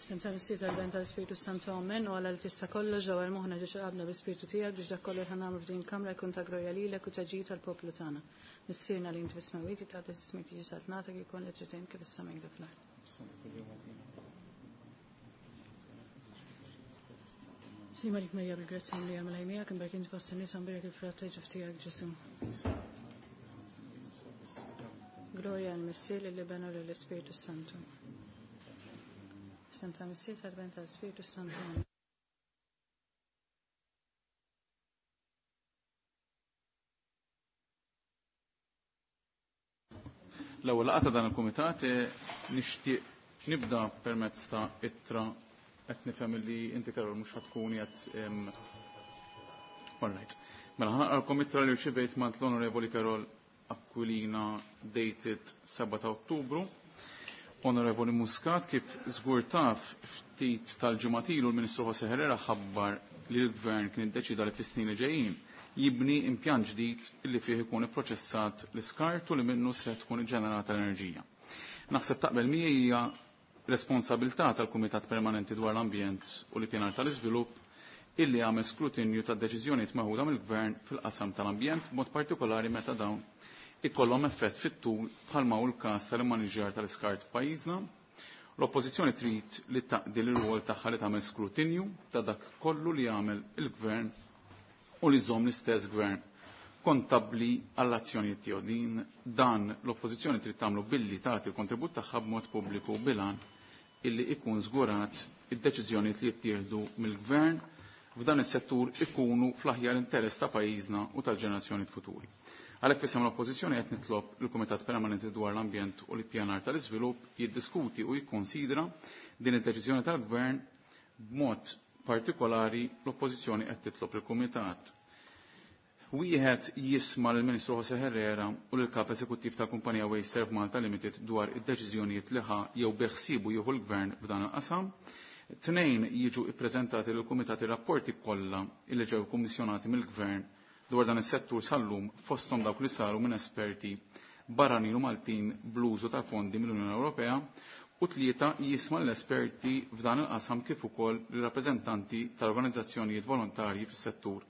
F'isem tal-Missier tal-Ben tal-Ispirtu Santu Amen u Alla li tista' kollox dawwar moħħna ġo qalbna bl-Ispirtu tiegħek biex dak kollu li ħa nagħmlu f'din il-kamra jkun ta' glorja lilek u ta' ġid tal-poplu tagħna. Missierna li inti fis-smewwiet jitqaddes ismek tiġi saltnatek ikun li trid int kif is-sema kif fl-art. Slima lik Marija bil-grazzja mlija mela miegħek imberk inti fost in-nisa mberek il-frott ta' ġuf tiegħek Ġesu. Glorja għall-Missier lill-Iben u lill-Ispirtu Santu. F'isem tal-Missier tal-Ben tal-Ispirtu Santu. Amen. L-ewwel laqgħa ta' dan il-kumitat nixtieq nibda permezz ta' ittra qed nifhem li inti Karol mhux ħatkun qed All right. Mela ħanaqralkom ittra li rċivejt mant l-Onorevoli Karol Aquilina dated 7 ta' Ottubru. Onorevoli Muscat, kif żgur taf ftit tal-ġimgħat ilu l-Ministru Jose Herrera ħabbar li l-Gvern kien iddeċida li fis-snin li ġejjin jibni impjant ġdid li fih ikun ipproċessat l-iskart u li minnu se tkun iġġenerata l-enerġija. Naħseb taqbel miegħi hija responsabilità tal-Kumitat Permanenti dwar l-Ambjent u l-Ippjanar tal-Iżvilupp illi għamel skrutinju tad-deċiżjonijiet meħuda mill-Gvern fil-qasam tal-ambjent b'mod partikolari meta dawn ikollhom effett fit-tul bħalma hu l-każ tal-immaniġġjar tal-iskart f'pajjiżna. L-Oppożizzjoni trid li taqdi l-rwol tagħha li tagħmel skrutinju ta' dak kollu li jagħmel il-Gvern u li żomm l-istess Gvern kontabbli għall-azzjonijiet tiegħu. Din dan l-Oppożizzjoni trid tagħmlu billi tagħti l-kontribut tagħha b'mod pubbliku bil-għan illi ikun żgurat id-deċiżjonijiet li jittieħdu mill-Gvern f'dan is-settur ikunu fl-aħjar interess ta' pajjiżna u tal-ġenerazzjoni futuri. Għalhekk f'isem l-Oppożizzjoni qed nitlob il-Kumitat Permanenti dwar l-Ambjent u l-Ippjanar tal-Iżvilupp jiddiskuti u jikkonsidra din id-deċiżjoni tal-Gvern b'mod partikolari l-Oppożizzjoni qed titlob il-Kumitat wieħed jisma' lill-Ministru Jose Herrera u lill-Kap Eżekuttiv tal-Kumpanija Wasteserv Malta Limited dwar id-deċiżjonijiet li ħa jew beħsiebu jieħu l-Gvern f'dan il-qasam. Tnejn jiġu ippreżentati lill-Kumitat ir-rapporti kollha illi ġew kummissjonati mill-Gvern dwar dan is-settur sal-lum fosthom dawk li saru minn esperti barranin u Maltin bl-użu tal-fondi mill-Unjoni Ewropea u tlieta jisma' l-esperti f'dan il-qasam kif ukoll ir-rappreżentanti tal-organizzazzjonijiet volontarji fis-settur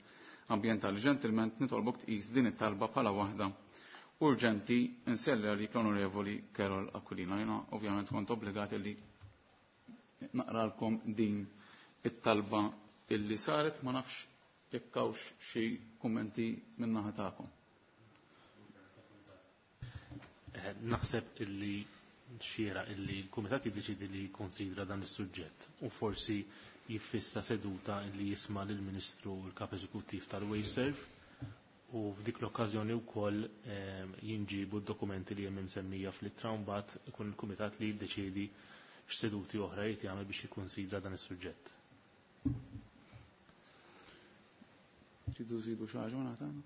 ambjentali. Ġentilment nitolbok tqis din it-talba bħala waħda urġenti nselli għalik l-Onorevoli Karol Aquilina. Jiena ovvjament kont obbligat li naqralkom din it-talba illi saret ma nafx jekk hawnx xi kummenti min-naħa tagħkom. Naħseb illi xiera illi l-Kumitat jiddeċidi li jikkonsidra dan is-suġġett u forsi jiffissa seduta illi jisma' lill-Ministru u l-Kap Eżekuttiv tal-Wasteserv u f'dik l-okkażjoni wkoll jinġibu d-dokumenti li hemm imsemmija fl-ittra u mbagħad ikun il-Kumitat li jiddeċiedi x'seduti oħra jrid jagħmel biex jikkunsidra dan is-suġġett. Tridu żidu xi ħaġa tagħna?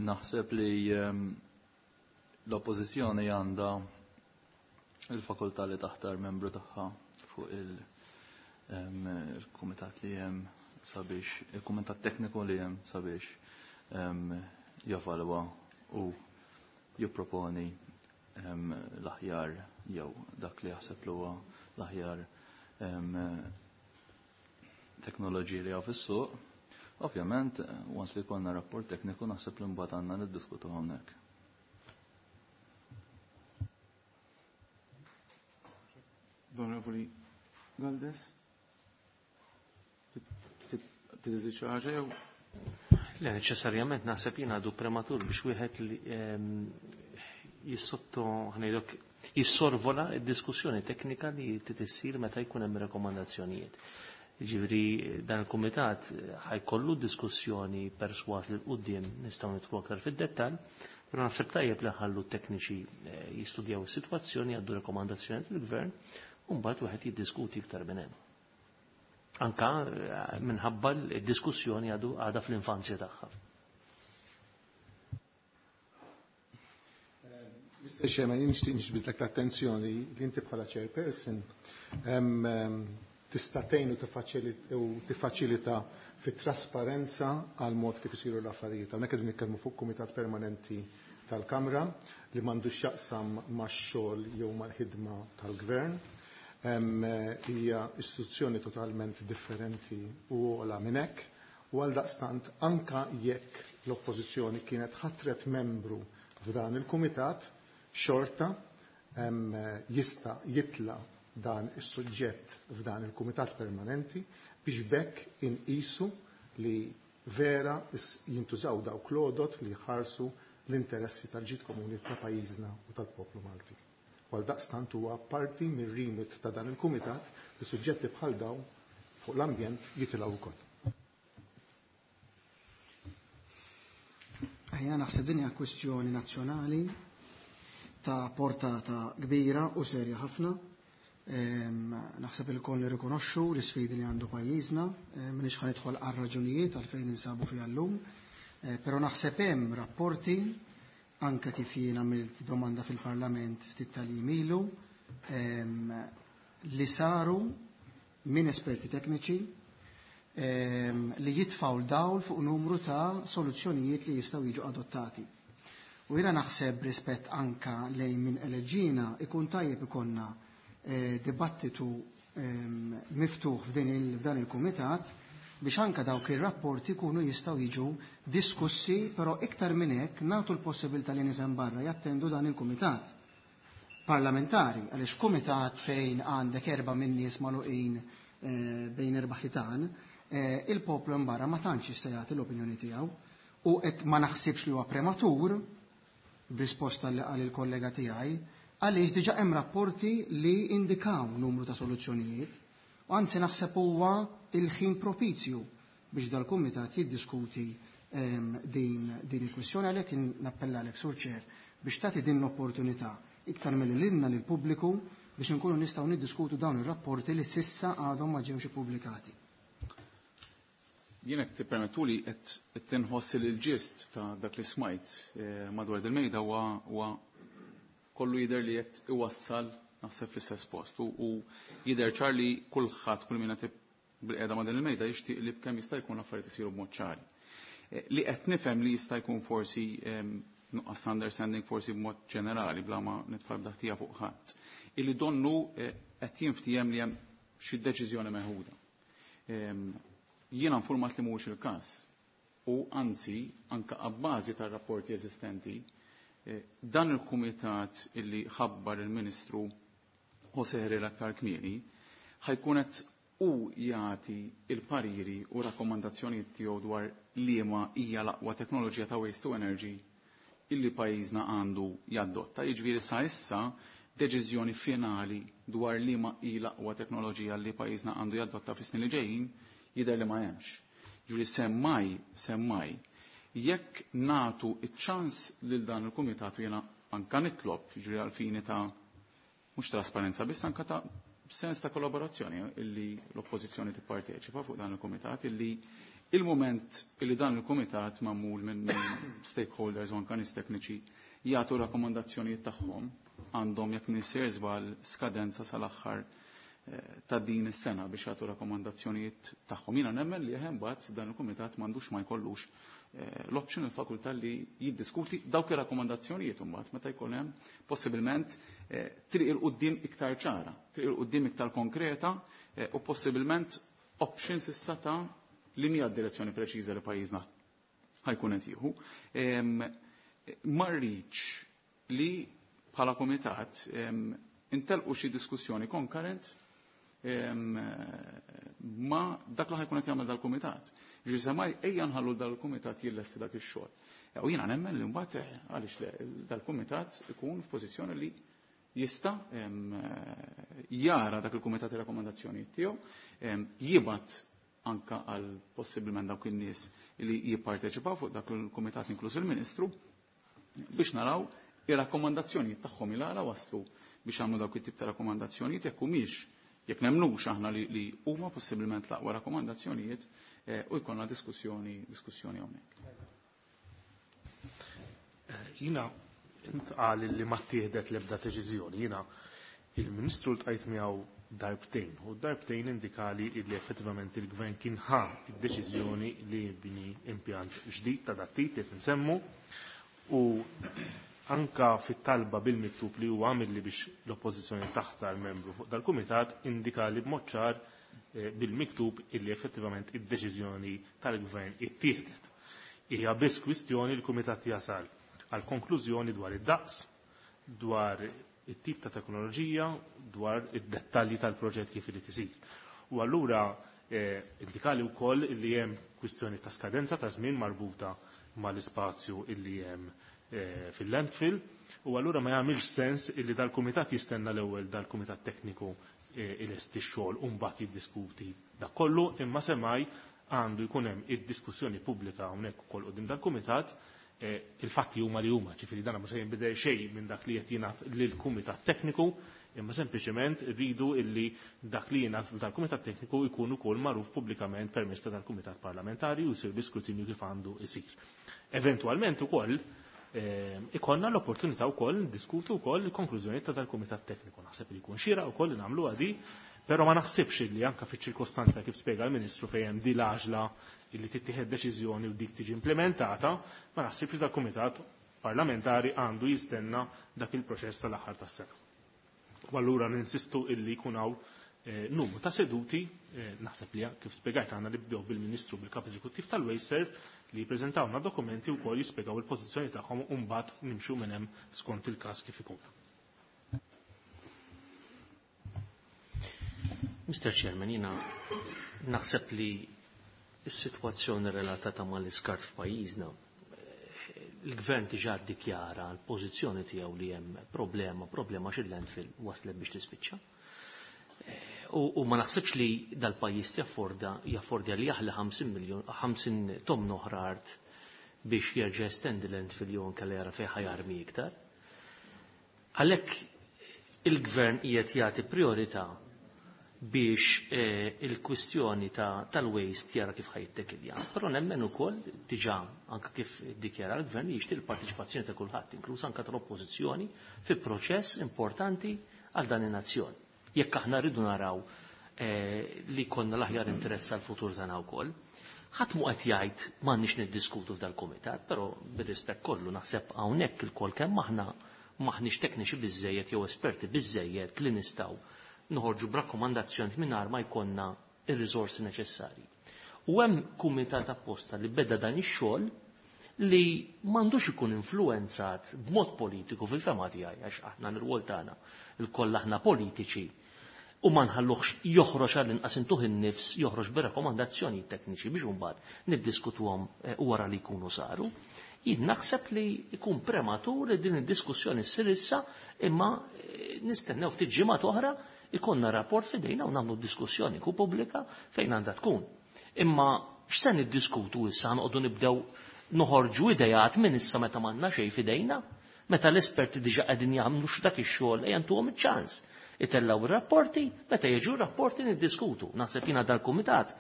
Naħseb li l-oppożizzjoni għandha il-fakultà li taħtar membru tagħha fuq il-kumitat li hemm sabiex il-kumitat tekniku li hemm sabiex jevalwa u jipproponi l-aħjar jew dak li jaħseb li huwa l-aħjar teknoloġiji li hawn fis-suq. Ovvjament, once li jkollna rapport tekniku naħseb li mbagħad għandna niddiskutu hawnhekk. Onorevoli Galdes, tiżid xi ħaġa jew? Le, neċessarjament naħseb jien għadu prematur biex wieħed li jissotto ħnejdok jissorvola d-diskussjoni teknika li titissir meta jkun hemm rekomandazzjonijiet. Ġifieri dan il-kumitat ħajkollu diskussjoni perswas li l-qudiem nistgħu nidħlu aktar fid-dettall, però naħseb tajjeb li ħallu t-tekniċi jistudjaw is-sitwazzjoni għaddu rekomandazzjoni lill-gvern u mbagħad wieħed jiddiskuti iktar minn hemm. Anka minħabba l-diskussjoni għadu għadha fl-infanzja tagħha. Mr. Chairman, jien nixtieq niġbidlek l-attenzjoni li inti bħala chairperson tista' tgħin u tiffaċilita fit-trasparenza għal mod kif isiru l-affarijiet. Hawnhekk qegħdin nitkellmu fuq kumitat permanenti tal-Kamra li m'għandux x'jaqsam max-xogħol jew mal-ħidma tal-Gvern. Hija istituzzjoni totalment differenti u ogħla minn hekk, u għaldaqstant anka jekk l-Oppożizzjoni kienet ħatret membru f'dan il-kumitat, xorta jista' jitla' dan is-suġġett f'dan il-kumitat permanenti biex b'hekk inqisu li vera jintużaw dawk l-għodod li jħarsu l-interessi tal-ġid komuni ta' pajjiżna u tal-poplu Malti. U għaldaqstant huwa parti mir-remit ta' dan il-kumitat li suġġetti bħal dawn fuq l-ambjent jitilgħu wkoll. Jiena naħseb din hija kwistjoni nazzjonali ta' portata kbira u serja ħafna. Naħseb ilkoll nirrikonoxxu l-isfidi li għandu pajjiżna, m'iniex ħa nidħol għar-raġunijiet għalfejn ninsabu fiha llum, però naħseb hemm rapporti anke kif jien għamilt domanda fil-Parlament ftit tal-jiem ilu li saru minn esperti tekniċi li jitfgħu l-dawl fuq numru ta' soluzzjonijiet li jistgħu jiġu adottati. U jiena naħseb rispett anka lejn min eleġġina ikun tajjeb ikollna dibattitu miftuħ f'dan il-kumitat biex anka dawk ir-rapporti jkunu jistgħu jiġu diskussi, però iktar minn hekk nagħtu l-possibilità li nies hemm barra jattendu dan il-kumitat parlamentari, għaliex kumitat fejn għandek erba' minn nies magħluqin bejn erba' ħitan, il-poplu hemm barra ma tantx jista' jagħti l-opinjoni tiegħu u qed ma naħsibx li huwa prematur b'risposta li qal il-kollega tiegħi, għaliex diġà hemm rapporti li indikaw numru ta' soluzzjonijiet, u anzi naħseb huwa il-ħin propizju biex dal-kumitat jiddiskuti din il-kwistjoni, għalhekk nappella għalek Sur Chair biex tagħti din l-opportunità iktar milli lilna lill-pubbliku biex inkunu nistgħu niddiskutu dawn ir-rapporti li sissa għadhom ma ġewx ippubblikati. Jien qed tippermettuli qed tinħoss li l-ġist ta' dak li smajt madwar il-mejda huwa kollu jidher li qed iwassal naħseb fl-istess post u jidher ċar li kulħadd kull min qed bil-qiegħda ma' din il-mejda jixtieq li b'kemm jista' jkun l-affarijiet isiru b'mod ċari. Li qed nifhem li jista' jkun forsi nuqqas ta' understanding forsi b'mod ġenerali bla ma nitfa' b'daħtija fuq ħadd. Illi donnu qed jinftiehem li hemm xi deċiżjoni meħuda. Jiena informat li mhuwiex il-każ u anzi anke abbażi tar-rapporti eżistenti dan il-kumitat illi ħabbar il-Ministru José Herrera aktar kmieni ħajkun qed u jagħti il-pariri u rakkomandazzjonijiet tiegħu dwar liema hija l-aqwa teknoloġija ta' waste to energy illi pajjiżna għandu jaddotta. Jiġifieri sa issa deċiżjoni finali dwar liema hi l-aqwa teknoloġija li pajjiżna għandu jaddotta fis-snin li ġejjin jidher li ma hemmx. Ġifieri semmaj, jekk nagħtu iċ-ċans lil dan il-kumitat u jiena anka nitlob, jiġifieri għal fini ta' mhux trasparenza biss anka ta' sens ta' kollaborazzjoni illi l-oppożizzjoni tipparteċipa fuq dan il-kumitat, illi il-moment illi dan il-kumitat magħmul minn stakeholders u anka nies tekniċi jagħtu rakkomandazzjonijiet tagħhom għandhom jekk m'iniex żball skadenza sal-aħħar ta' din is-sena biex jagħtu rakkomandazzjonijiet tagħhom. Jiena nemmen li hemm mbagħad dan il-kumitat m'għandux ma jkollux l-option il-fakultà li jiddiskuti dawk ir-rakkomandazzjonijiet imbagħad meta jkun hemm possibilment triq il quddiem iktar ċara, triq il quddiem iktar konkreta u possibilment options issa ta' li mija d-direzzjoni preċiża li pajjiżna ħajkun qed jieħu. Ma rridx li bħala kumitat intelqu xi diskussjoni konkurrent ma dak li ħajkun qed jagħmel dal-kumitat. Ġifieri semmaj ejja nħallu dal-kumitat jillesti dak ix-xogħol. U jiena nemmen li mbagħad għaliex le dal-kumitat ikun f'pożizzjoni li jista' jara dak il-kumitat ir-rakkomandazzjonijiet tiegħu, jibgħat anka għal possibilment dawk in-nies li jipparteċipaw fuq dak il-kumitat inkluż il-Ministru biex naraw ir-rakkomandazzjonijiet tagħhom il għala waslu biex għamlu dawk it-tip ta' rakkomandazzjonijiet jekk humiex jekk nemnux aħna li huma possibilment l-aqwa rakkomandazzjonijiet u jkollna diskussjoni hawnhekk. Jiena intqal li ma ttieħdet l-ebda deċiżjoni, jiena il-Ministru ltqajt miegħu darbtejn u darbtejn indikali li effettivament il-Gvern kien ħa id-deċiżjoni li jibni impjant ġdid ta' dat tip li qed nsemmu u Anka fit-talba bil-miktub li huwa għamilli biex l-oppożizzjoni taħtar membru fuq dal-kumitat indika li b'mod ċar bil-miktub illi effettivament id-deċiżjoni tal-gvern ittieħdet. Hija biss kwistjoni l-kumitat jasal għal konklużjoni dwar id-daqs, dwar it-tip ta' teknoloġija, dwar id-dettalji tal-proġett kif irid isir. U allura indikali wkoll li hemm kwistjoni ta' skadenza ta' żmien marbuta mal-ispazju illi hemm fil-landfill u allura ma jagħmilx sens illi dal-kumitat jistenna l-ewwel dal-kumitat tekniku ilesti x-xogħol u mbagħad jiddiskuti dak kollu, imma semmai għandu jkun hemm id-diskussjoni pubblika hawnhekk ukoll quddiem dal-kumitat. Il-fatti huma li huma, ġifieri dan mhux se jinbidel xejn minn dak li qed jingħad lill-kumitat tekniku, imma sempliċement rridu illi dak li jingħad dal-kumitat tekniku jkun ukoll magħruf pubblikament permezz ta' dal-kumitat parlamentari u jsir l-iskrutinju kif għandu jsir. Eventwalment ukoll ikonna l-opportunità wkoll ndiskutu wkoll il-konklużjoni ta' dal-kumitat tekniku. Naħseb li jkun xieraq ukoll li nagħmlu għadi, però ma naħsibx li anke fiċ-ċirkostanza kif spjega l-Ministru fejn hemm di l-għaġla illi tittieħed deċiżjoni u dik tiġi implementata, ma naħsibx li dal-kumitat parlamentari għandu jistenna dak il-proċess tal-aħħar tas-sena. U allura ninsistu illi jkun hawn numru ta' seduti, naħseb li kif spjegajt għandna nibdew bil-Ministru bil-Kap Eżekuttiv tal-WasteServ li jippreżentawna dokumenti wkoll jispjegaw il-pożizzjoni tagħhom u mbagħad nimxu minn hemm skont il-każ kif ikun. Mr. Chairman, jiena naħseb li s-sitwazzjoni relatata mal-iskart f'pajjiżna, il-gvern diġà ddikjara l-pożizzjoni tiegħu li hemm problema xi landfill waslet biex tispiċċa. U ma naħsibx li dal-pajjiż jaffordja li jaħli 50 miljon, 50 tomn oħra art biex jerġa' jestendi landfill jew anke jara fejn ħajarmi iktar. Għalhekk il-gvern qiegħed jagħti priorità biex il-kwistjoni tal-waste jara kif ħajttekilja. Però nemmen ukoll diġà anke kif iddikjara l-gvern li jixtieq il-parteċipazzjoni ta' kulħadd, inkluż anke tal-oppożizzjoni, fi proċess importanti għal dan in-nazzjon. Jekk aħna rridu naraw li konna l-aħjar interess għal futur tagħna wkoll. Ħadd mu qed jgħid m'għandniex niddiskutu f'dal-kumitat, però bir-rispett kollu naħseb hawnhekk ilkoll kemm aħna maħniex tekniċi biżejjed jew esperti biżejjed li nistgħu noħorġu b'rakkomandazzjoni mingħajr ma jkollna ir-riżorsi neċessarji. U hemm kumitat apposta li beda dan ix-xogħol li m'għandux ikun influenzat b'mod politiku fil-fema tiegħi, għax aħna l-rwol tagħna lkoll aħna politiċi u ma nħalluhx joħroġ għall-inqas intuh in-nifs joħroġ b'rakkomandazzjoni tekniċi biex imbagħad niddiskutuhom wara li jkunu saru. Jien naħseb li jkun prematur li din id-diskussjoni ssir issa, imma nistennew ftit ġimgħat oħra ikonna rapport fidejna u nagħmlu diskussjoni ku pubblika fejn għandha tkun. Imma x'se niddiskutu issa, noqogħdu nibdew noħorġu idejat minn issa meta m'għandna xejn fidejna, meta l-esperti diġà qegħdin jagħmlu x'dak ix-xogħol ejja ntuhom iċ-ċans. Itellaw ir-rapporti, meta jiġu rapporti niddiskutu. Naħseb jiena dal-kumitat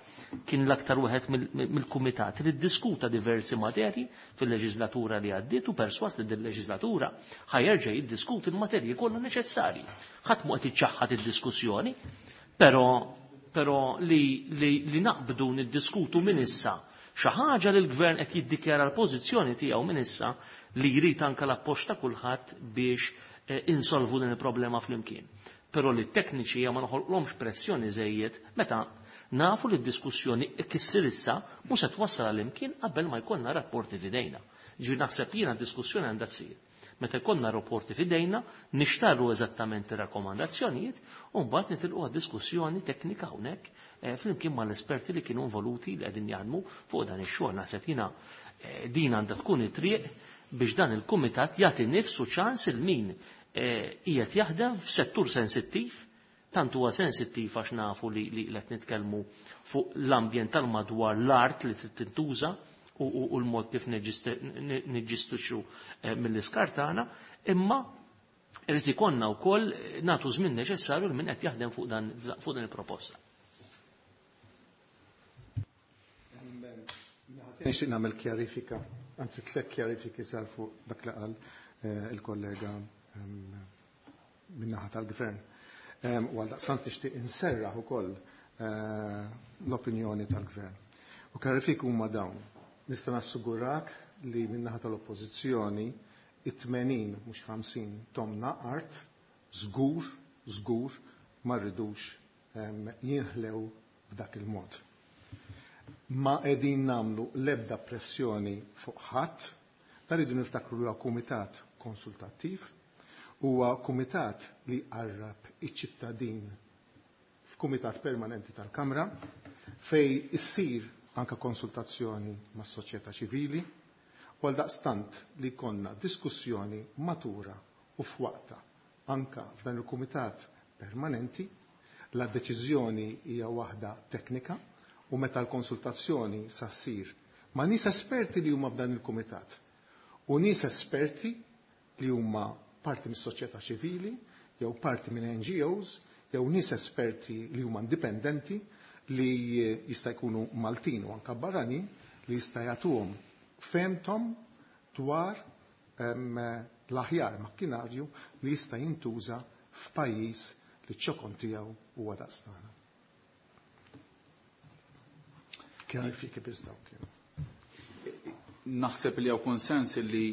kien l-aktar wieħed mill-kumitat li ddiskuta diversi materji fil-leġislatura li għaddiet u perswas li din-leġislatura ħajerġa' jiddiskuti l-materji kollha neċessarji. Ħadd mhu qed iċċaħħad id-diskussjoni, però li naqbdu niddiskutu minn issa xi ħaġa li l-gvern qed jiddikjara l-pożizzjoni tiegħu minn issa li jrid anke l-appoġġ ta' kulħadd biex insolvu din il-problema flimkien. Però li t-tekniċi ma noħolqlhomx pressjoni żejjed meta nafu li d-diskussjoni kissir issa mhux se twassal għal imkien qabel ma jkollna rapporti f'idejna. Ġifieri naħseb jiena d-diskussjoni għandha tsir. Meta jkollna rapporti f'idejna, nixtarru eżattament ir-rakkomandazzjonijiet u mbagħad nitilqu għad-diskussjoni teknika hawnhekk flimkien mal-esperti li kienu involuti li qegħdin jaħdmu fuq dan ix-xogħol. Naħseb jiena din għandha tkun it-triq biex dan il-kumitat jagħti nifsu ċans il min qiegħed jaħdem f'settur sensittiv, tant huwa sensittiv għax nafu li qed nitkellmu fuq l-ambjent tal-madwar l-art li trid tintuża u l-mod kif niġġistixxu mill-iskart tagħna, imma irid ikollna wkoll nagħtu żmien neċessarju lil min qed jaħdem fuq din il-proposta. Nixtieq nagħmel kjarifika, anzi tliet kjarifiki sar fuq dak li qal il-kollega min-naħa tal-gvern. U għaldaqstant nixtieq inserraħ ukoll l-opinjoni tal-gvern. U kjarifiki huma dawn. Nista' nassigurak li min-naħa tal-oppożizzjoni It-80 mhux 50 tomna art żgur, żgur ma rridux jinħlew b'dak il-mod. Ma qegħdin nagħmlu l-ebda pressjoni fuq ħadd, dan rridu niftakru li huwa kumitat konsultattiv, huwa kumitat li jqarrab iċ-ċittadin f'kumitat permanenti tal-Kamra fej issir anka konsultazzjoni mas-soċjetà ċivili u għaldaqstant li jkollna diskussjoni matura u f'waqtha anka f'dan il-kumitat permanenti. La deċiżjoni hija waħda teknika u meta l-konsultazzjoni sa ssir ma' nies esperti li huma f'dan il-kumitat u nies esperti li huma parti mis-soċjetà ċivili jew parti minn NGOs jew nies esperti li huma indipendenti li jista' jkunu Maltin u anka barranin li jista' jagħtuhom fehmthom dwar l-aħjar makkinarju li jista' jintuża f'pajjiż li ċ-ċokon tiegħu huwa daqs tagħna. Kjarifiki biss dawk kienu. Naħseb li hawn konsens li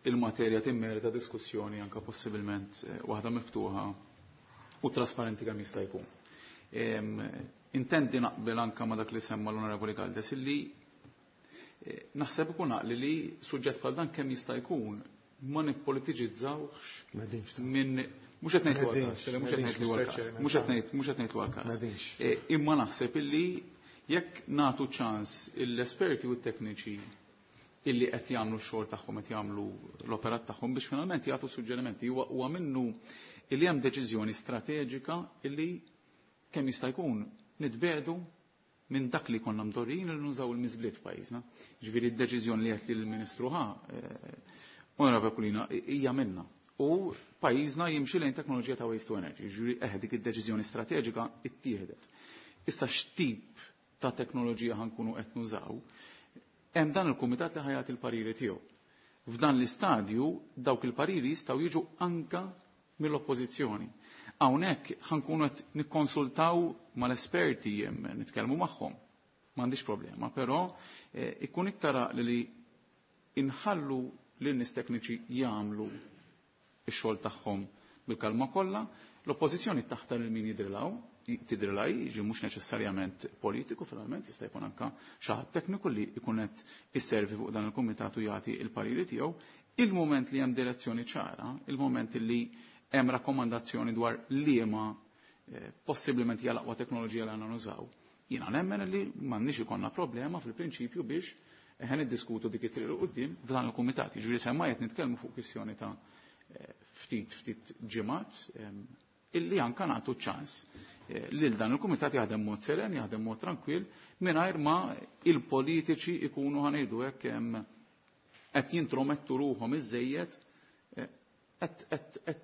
il-materja timmerita diskussjoni anka possibilment waħda miftuħa u trasparenti kemm jista' jkun. Intendi naqbel anka ma dak li semma l-Onorevoli Galdes illi naħseb ikun għaqli li suġġett bħal dan kemm jista' jkun ma nippolitiġizzawx minn mhux qed ngħid għal-każ, mhux qed ngħid li huwa l-każ, mhux qed ngħid, mhux qed ngħid huwa l-każ. Imma naħseb illi jekk nagħtu ċans l-esperti u t-tekniċi illi qed jagħmlu x-xogħol tagħhom, qed jagħmlu l-operat tagħhom biex finalment jagħtu suġġerimenti, huwa minnu illi hemm deċiżjoni strateġika illi kemm jista' jkun nitbedu minn dak li konna mdorrijin li nużaw il-miżbliet f'pajjiżna. Ġifieri d-deċiżjoni li qed lill-Ministru ħa, Onorevole Aquilina, hija minna. U pajjiżna jimxi lejn teknoloġija ta' waste to energy, ġifieri dik id-deċiżjoni strateġika ittieħdet. Issa x'tip ta' teknoloġija ħankunu qed nużaw, hemm dan il-kumitat li ħajat il-pariri tiegħu. F'dan l-istadju dawk il-pariri jistgħu jiġu anka mill-oppożizzjoni. Hawnhekk ħankunu qed nikkonsultaw mal-esperti, nitkellmu magħhom. M'għandix problema, però ikun iktar għaqli li inħallu lin nies tekniċi jagħmlu x-xogħol tagħhom bil-kalma kollha, l-oppożizzjoni taħtar lil min jidrilhaw, tidrilha jiġi mhux neċessarjament politiku, finalment jista' jkun anka xi ħadd tekniku li jkun qed isservi fuq dan il-kumitat u jagħti l-pariri tiegħu. Il-moment li hemm direzzjoni ċara, il-moment li hemm rakkomandazzjoni dwar liema possibilment hija l-aqwa teknoloġija li għandna nużaw, jiena nemmen li m'għandniex ikollna problema fil-prinċipju biex ħen niddiskutu dik it-triq 'l quddiem f'dan il-kumitat. Jiġifieri semma qed nitkellmu fuq kwistjoni ta' ftit ġimgħat illi anka nagħtu ċans lil dan il-kumitat jaħdem mod seren, jaħdem mod tranquill, mingħajr ma il-politiċi ikunu ħanejdu hekk qed jintromettu ruħhom iżejjed qed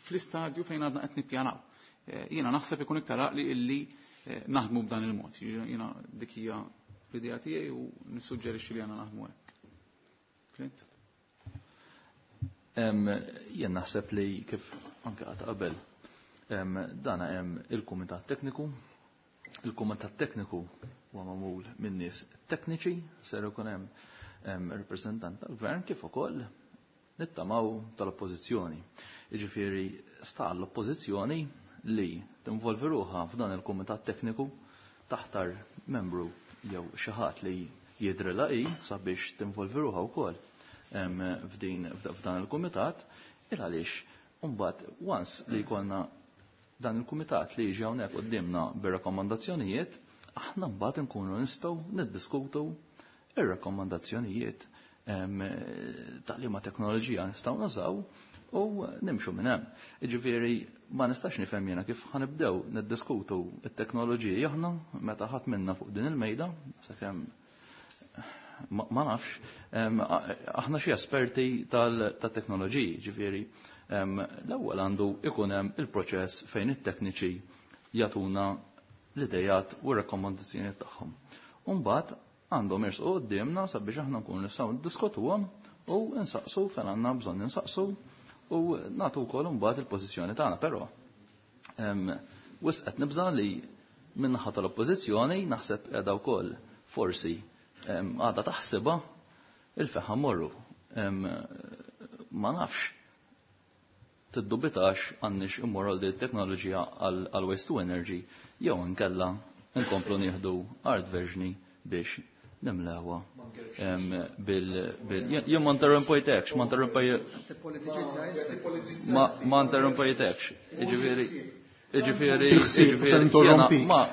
fl-istadju fejn għadna qed nippjanaw. Jiena naħseb ikun iktar għaqli illi naħdmu b'dan il-mod. Jiena dik hija l-idea tiegħi u nissuġġerixxi li għandna naħdmu hekk. Clint? Jien naħseb li kif anke qatt qabel, dana hemm il-kumitat tekniku. Il-kumitat tekniku huwa magħmul minn nies tekniċi, ser ikun hemm rappreżentant tal-gvern kif ukoll nittamaw tal-oppożizzjoni. Jiġifieri sta l-oppożizzjoni li tinvolvi ruħha f'dan il-kumitat tekniku taħtar membru jew xi ħadd li jidrilha hi sabiex tinvolvi ruħha wkoll f'dan il-kumitat, il għaliex imbagħad once li jkollna dan il-kumitat li jiġi hawnhekk quddiemna bir-rakkomandazzjonijiet, aħna mbagħad inkunu nistgħu niddiskutu ir-rakkomandazzjonijiet ta' liema teknoloġija nistgħu nużaw u nimxu minn hemm. Jiġifieri ma nistax nifhem jiena kif ħanibdew niddiskutu t-teknoloġiji aħna meta ħadd minna fuq din il-mejda, sakemm ma nafx, aħna xi esperti tat-teknoloġiji, ġifieri l-ewwel għandu ikun hemm il-proċess fejn it-tekniċi jagħtuna l-idejat u r-rakkomandazzjonijiet tagħhom. U mbagħad għandhom jersqu quddiemna sabiex aħna nkunu nistgħu niddiskutuhom u nsaqsu fejn għandna bżonn insaqsu u nagħtu wkoll imbagħad il-pożizzjoni tagħna, però wisq qed nibża' li min-naħa tal-oppożizzjoni naħseb qiegħda wkoll forsi għadha taħsibha il-feħa morru. Ma nafx tiddubitax għandniex immorru għal din it-teknoloġija għal waste to energy jew inkella nkomplu nieħdu art verġni biex nimlewha bil jien ma interrompejtekx, ma ma interrompejtekx. Jiġifieri Jiġifieri jiġifieri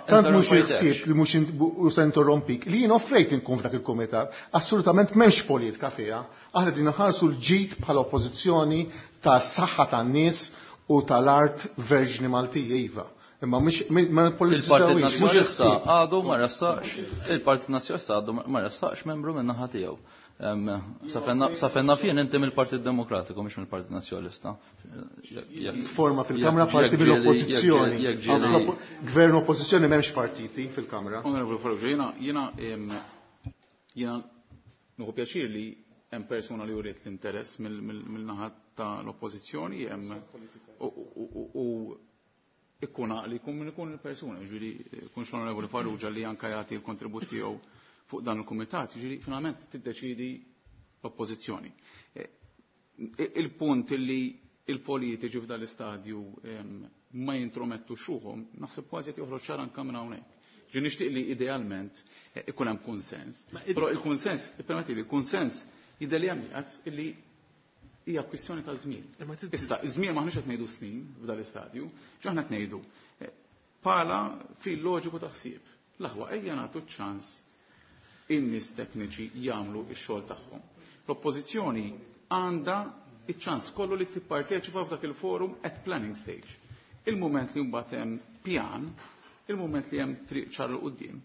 tant mhux il-ħsieb li mhux u se interrompik li jien offrejt inkun f'dak il-kumitat, assolutament m'hemmx politika fiha. Aħna qegħdin inħarsu l-ġid bħala oppożizzjoni tas-saħħa tan-nies u tal-art verġni Maltija iva. Imma mhux ma Il-Partit Nazzjonalista għadu ma ressaqx, il-Partit Nazzjonalista għadu ma ressaqx membru min-naħa tiegħu. Sa fejn naf jien inti mill-Partit Demokratiku mhux mill-Partit Nazzjonalista. Forma fil-Kamra parti mill-Oppożizzjoni. Gvern Oppożizzjoni m'hemmx partiti fil-Kamra. Onorevoli Farrugia, jiena jiena jiena nieħu pjaċir li hemm persuna li uriet l-interess mill-naħa tal-Oppożizzjoni u ikkun għaqli jkun min ikun il-persuna, jiġifieri jkunx l-Onorevoli Farrugia li anke jagħti l-kontribut tiegħu fuq dan il-kumitat, jiġifieri finalment tiddeċiedi l-Oppożizzjoni. Il-punt li il-politiċi f'dan l-istadju ma jintromettux ruħhom, naħseb kważi qed joħroġ ċar anke minn hawnhekk. Ġi nixtieq li idealment ikun hemm kunsens. Però il-kunsens, ippermettili, il-kunsens jidher li hemm qiegħed illi hija kwistjoni ta' żmien. Issa, żmien m'aħniex qed ngħidu snin f'dan l-istadju, x'aħna qed ngħidu? Bħala fil loġiku ta' ħsieb. L-aħwa ejja nagħtu ċ-ċans in-nies tekniċi jagħmlu x-xogħol tagħhom. L-Oppożizzjoni għandha iċ-ċans kollu li tipparteċipa f'dak il-forum at planning stage. Il-mument li mbagħad hemm pjan, il-mument li hemm triq ċar 'l quddiem,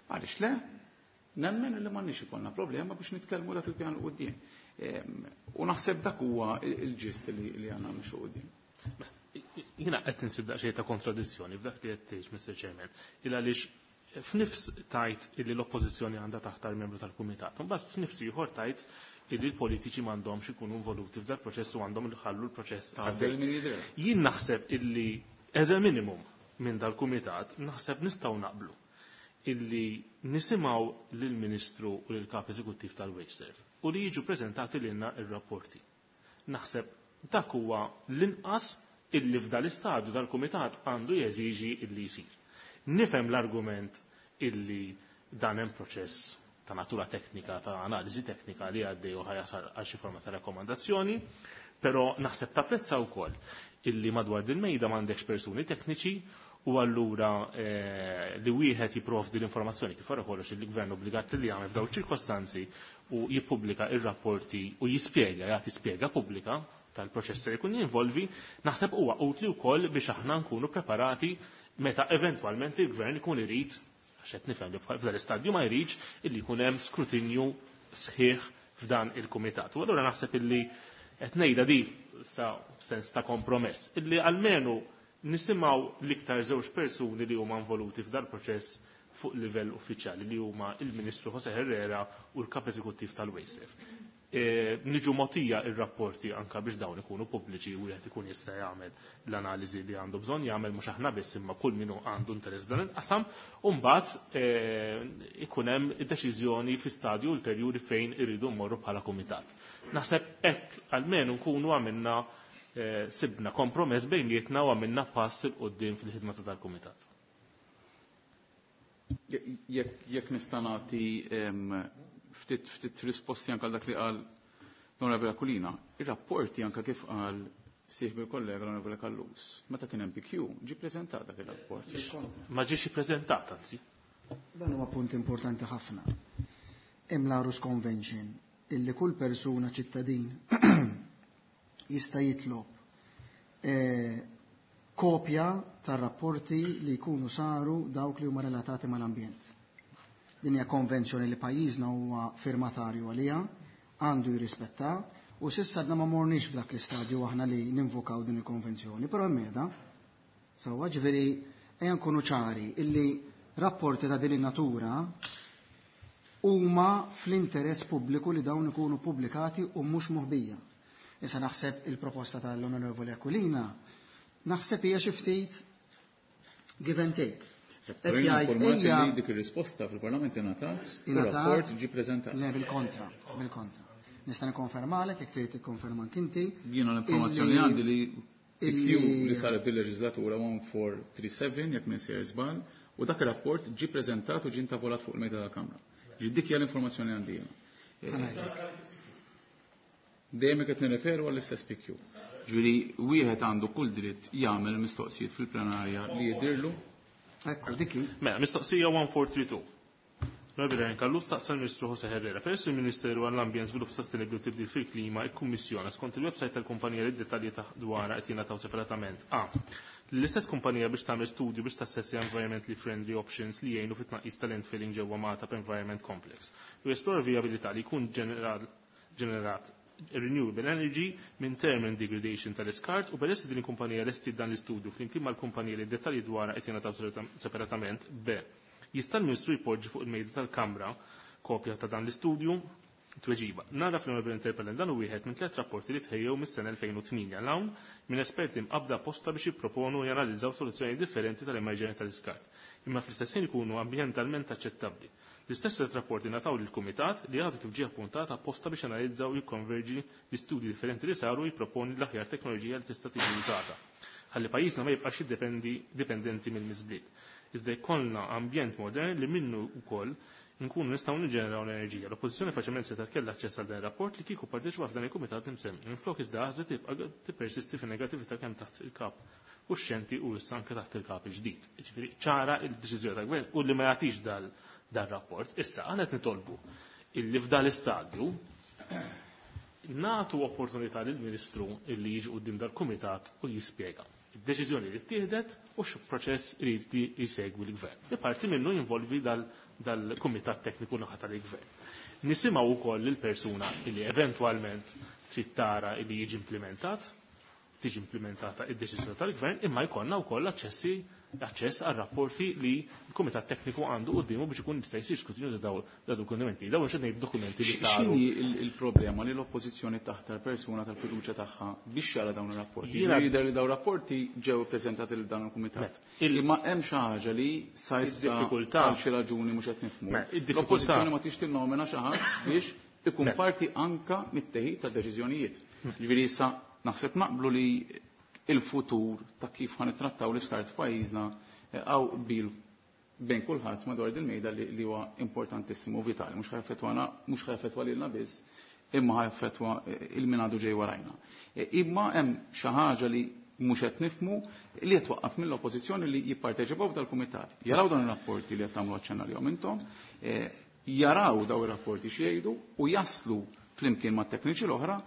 għaliex le? Nemmen li m'għandniex ikollna problema biex nitkellmu dak il-pjan 'l quddiem. U naħseb dak huwa il-ġist li għandna nimxu quddiem. Jiena qed insib daqsxejn ta' kontradizzjoni f'dak li qed tgħid, Mr. Chairman, il għaliex f'nifs tajt illi l-oppożizzjoni għandha taħtar membru tal-kumitat. Imbagħad f'nifs ieħor tajt illi l-politiċi m'għandhomx ikunu involuti f'dal proċess u għandhom iħallu l-proċess. Tagħżel min jidher. Jien naħseb illi as a minimum minn dal-kumitat naħseb nistgħu naqblu illi nisimgħu lill-Ministru u lill-Kap Eżekuttiv tal-WasteServ u li jiġu preżentati lilna ir-rapporti. Naħseb dak huwa l-inqas illi f'dal-istadju dal-kumitat għandu jeżiġi illi jsir. Nifhem l-argument illi dan hemm proċess ta' natura teknika, ta' analiżi teknika li għaddej u ħajasal għal xi forma ta' rakkomandazzjoni, però naħseb tapprezza wkoll illi madwar din mejda m'għandekx persuni tekniċi u allura li wieħed jipprovdi l-informazzjoni kif wara kollox il-gvern obbligat li jagħmel f'dawn ċirkostanzi u jippubblika ir-rapporti u jispjega, jagħti spjega pubblika tal-proċess li jkun jinvolvi, naħseb huwa utli wkoll biex aħna nkunu preparati meta eventwalment il-gvern ikun irid, għax qed nifhem li f'dan l-istadju ma jridx, illi jkun hemm skrutinju sħiħ f'dan il-kumitat. U allura naħseb illi qed ngħidha di sa sens ta' kompromess, illi almenu nisimgħu l-iktar żewġ persuni li huma involuti f'dal proċess fuq livell uffiċjali li huma il-Ministru Jose Herrera u l-Kap Eżekuttiv tal-WasteServ. Niġu mogħtija ir-rapporti anka biex dawn ikunu pubbliċi u wieħed ikun jista' jagħmel l-analiżi li għandu bżonn jagħmel mhux aħna biss imma kull min għandu interess dan il-qasam, u mbagħad ikun hemm deċiżjoni fi stadju ulterjuri fejn irridu mmorru bħala kumitat. Naħseb hekk almenu nkunu għamilna sibna kompromess bejnietna u għamilna pass 'il quddiem fil-ħidma ta' dal-kumitat. Jekk nista' nagħti ftit ftit risposti anke għal dak li qal l-Onorevole Aquilina, ir-rapporti anke kif qal sieħbi l-kollega l-Onorevole Callus, meta kien hemm PQ ġie preżentat dak ir-rapport. Ma ġiex ippreżentat anzi. Dan huwa punt importanti ħafna. Hemm l-Aarhus Convention illi kull persuna ċittadin jista' jitlob kopja tar-rapporti li jkunu saru dawk li huma relatati mal-ambjent. Din hija konvenzjoni li pajjiżna huwa firmatarju għaliha, għandu jirrispetta, u s'issa għadna ma morniex f'dak l-istadju aħna li ninvokaw din il-konvenzjoni, però hemm qiegħda. Sewwa, ġifieri ejja nkunu ċari illi rapporti ta' din in-natura huma fl-interess pubbliku li dawn ikunu pubblikati u mhux moħbija. Issa naħseb il-proposta tal-Onorevoli Aquilina naħseb hija xi ftit give and take. Qed jgħid ejja li dik ir-risposta fil-Parlament ingħatat, ir-rapport ġie preżentat. Le, bil-kontra, bil-kontra. Nista' nikkonfermalek jekk trid tikkonferma anke inti. Jiena l-informazzjoni għandi li PQ li saret dil-leġislatura 1437 jekk minn sejjer żball u dak ir-rapport ġie preżentat u ġie intavolat fuq il-mejda tal-Kamra. Ġi dik hija l-informazzjoni għandi jiena. Dejjem qed nirreferu għall-istess PQ. Ġifieri wieħed għandu kull dritt jagħmel mistoqsijiet fil-plenarja li jidhirlu. Ekku, dik hi. Mela, mistoqsija 1432. Onorevoli Ryan Callus staqsa l-Ministru José Herrera. Peress li l-Ministeru għall-Ambjent, Żvilupp Sostenibbli u Tibdil fil-Klima ikkummissjona skont il-website tal-kumpanija li d-dettalji ta' dwarha qed jingħataw separatament a. Lill-istess kumpanija biex tagħmel studju biex tassessja environmentally friendly options li jgħinu fit-tnaqqis tal-landfilling ġewwa Magħtab Environment Complex u jesplora l-vijabilità li jkun ġenerat renewable energy minn thermal degradation tal-iskart u peress li din il-kumpanija lestiet dan l-istudju flimkien mal-kumpanija li d-dettalji dwarha qed jingħataw separatament b. Jista' l-Ministru jpoġġi fuq il-mejda tal-Kamra kopja ta' dan l-istudju? Tweġiba. Nagħraf l-Onorevoli Interpellant dan hu wieħed minn tlett rapporti li tħejjew mis-sena 2008 'l hawn minn esperti mqabbda apposta biex jipproponu u janalizzaw soluzzjonijiet differenti tal-emerġenja tal-iskart, imma fl-istess ħin ikunu ambjentalment aċċettabbli. L-istess tlett rapporti ngħataw lill-Kumitat li għadu kif ġie appuntat apposta biex janalizza u jikkonverġi l-istudji differenti li saru u jipproponi l-aħjar teknoloġija li tista' tiġi użata ħalli pajjiżna ma jibqax jiddependi dipendenti mill-miżbliet iżda jkollna ambjent modern li minnu wkoll nkunu nistgħu niġġeneraw l-enerġija. L-Oppożizzjoni faċilment setgħet kellha aċċess għal dan ir-rapport li kieku pparteċipa f'dan il-kumitat imsemmi. Minflok iżda għażlet tibqa' tippersisti fin-negattività kemm taħt il-Kap uxxenti u issa anke taħt il-Kap il-ġdid. Jiġifieri ċara d-deċiżjoni tal-Gvern u li ma jagħtix dal-rapport. Issa aħna qed nitolbu illi f'dan l-istadju nagħtu opportunità lill-Ministru illi jiġi quddiem dal-kumitat u jispjega id-deċiżjoni li ttieħdet u x'proċess irid jsegwi l-Gvern. Li parti minnu jinvolvi dal-Kumitat Tekniku naħa tal-Gvern. Nisimgħu wkoll lill-persuna li eventwalment trid tara li jiġi implimentat, tiġi implimentata id-deċiżjoni tal-Gvern, imma jkollna wkoll aċċessi aċċess għal rapporti li l-Kumitat Tekniku għandu quddiemu biex ikun jista' jsir skrutinju ta' dawn dokumenti. Dawn mhux qed ngħid dokumenti li saru. X'inhi l-problema li l-Oppożizzjoni taħtar persuna tal-fiduċja tagħha biex jara dawn ir-rapporti? Jidher li dawn rapporti ġew ippreżentati lil dan il-Kumitat. Imma hemm xi ħaġa li sa issa għal xi raġuni mhux qed nifhmu. L-Oppożizzjoni ma tix tinnomina xi ħadd biex ikun parti anka mit-teħid ta' deċiżjonijiet. Jiġifieri issa naħseb naqblu li il-futur ta' kif ħa nittrattaw l-iskart f'pajjiżna hawn qbil bejn kulħadd madwar din mejda li huwa importantissimu u vitali, mhux ħajaffettwana, mhux ħajaffettwa lilna biss, imma ħajaffettwa il min għadu ġej warajna. Imma hemm xi ħaġa li mhux qed nifhmu li qed twaqqaf mill-Oppożizzjoni li jipparteċipaw f'dal-kumitat. Jaraw dawn ir-rapporti li qed tagħmlu aċċenn għalihom intom, jaraw daw ir-rapporti x'jgħidu u jaslu flimkien mat-tekniċi l-oħra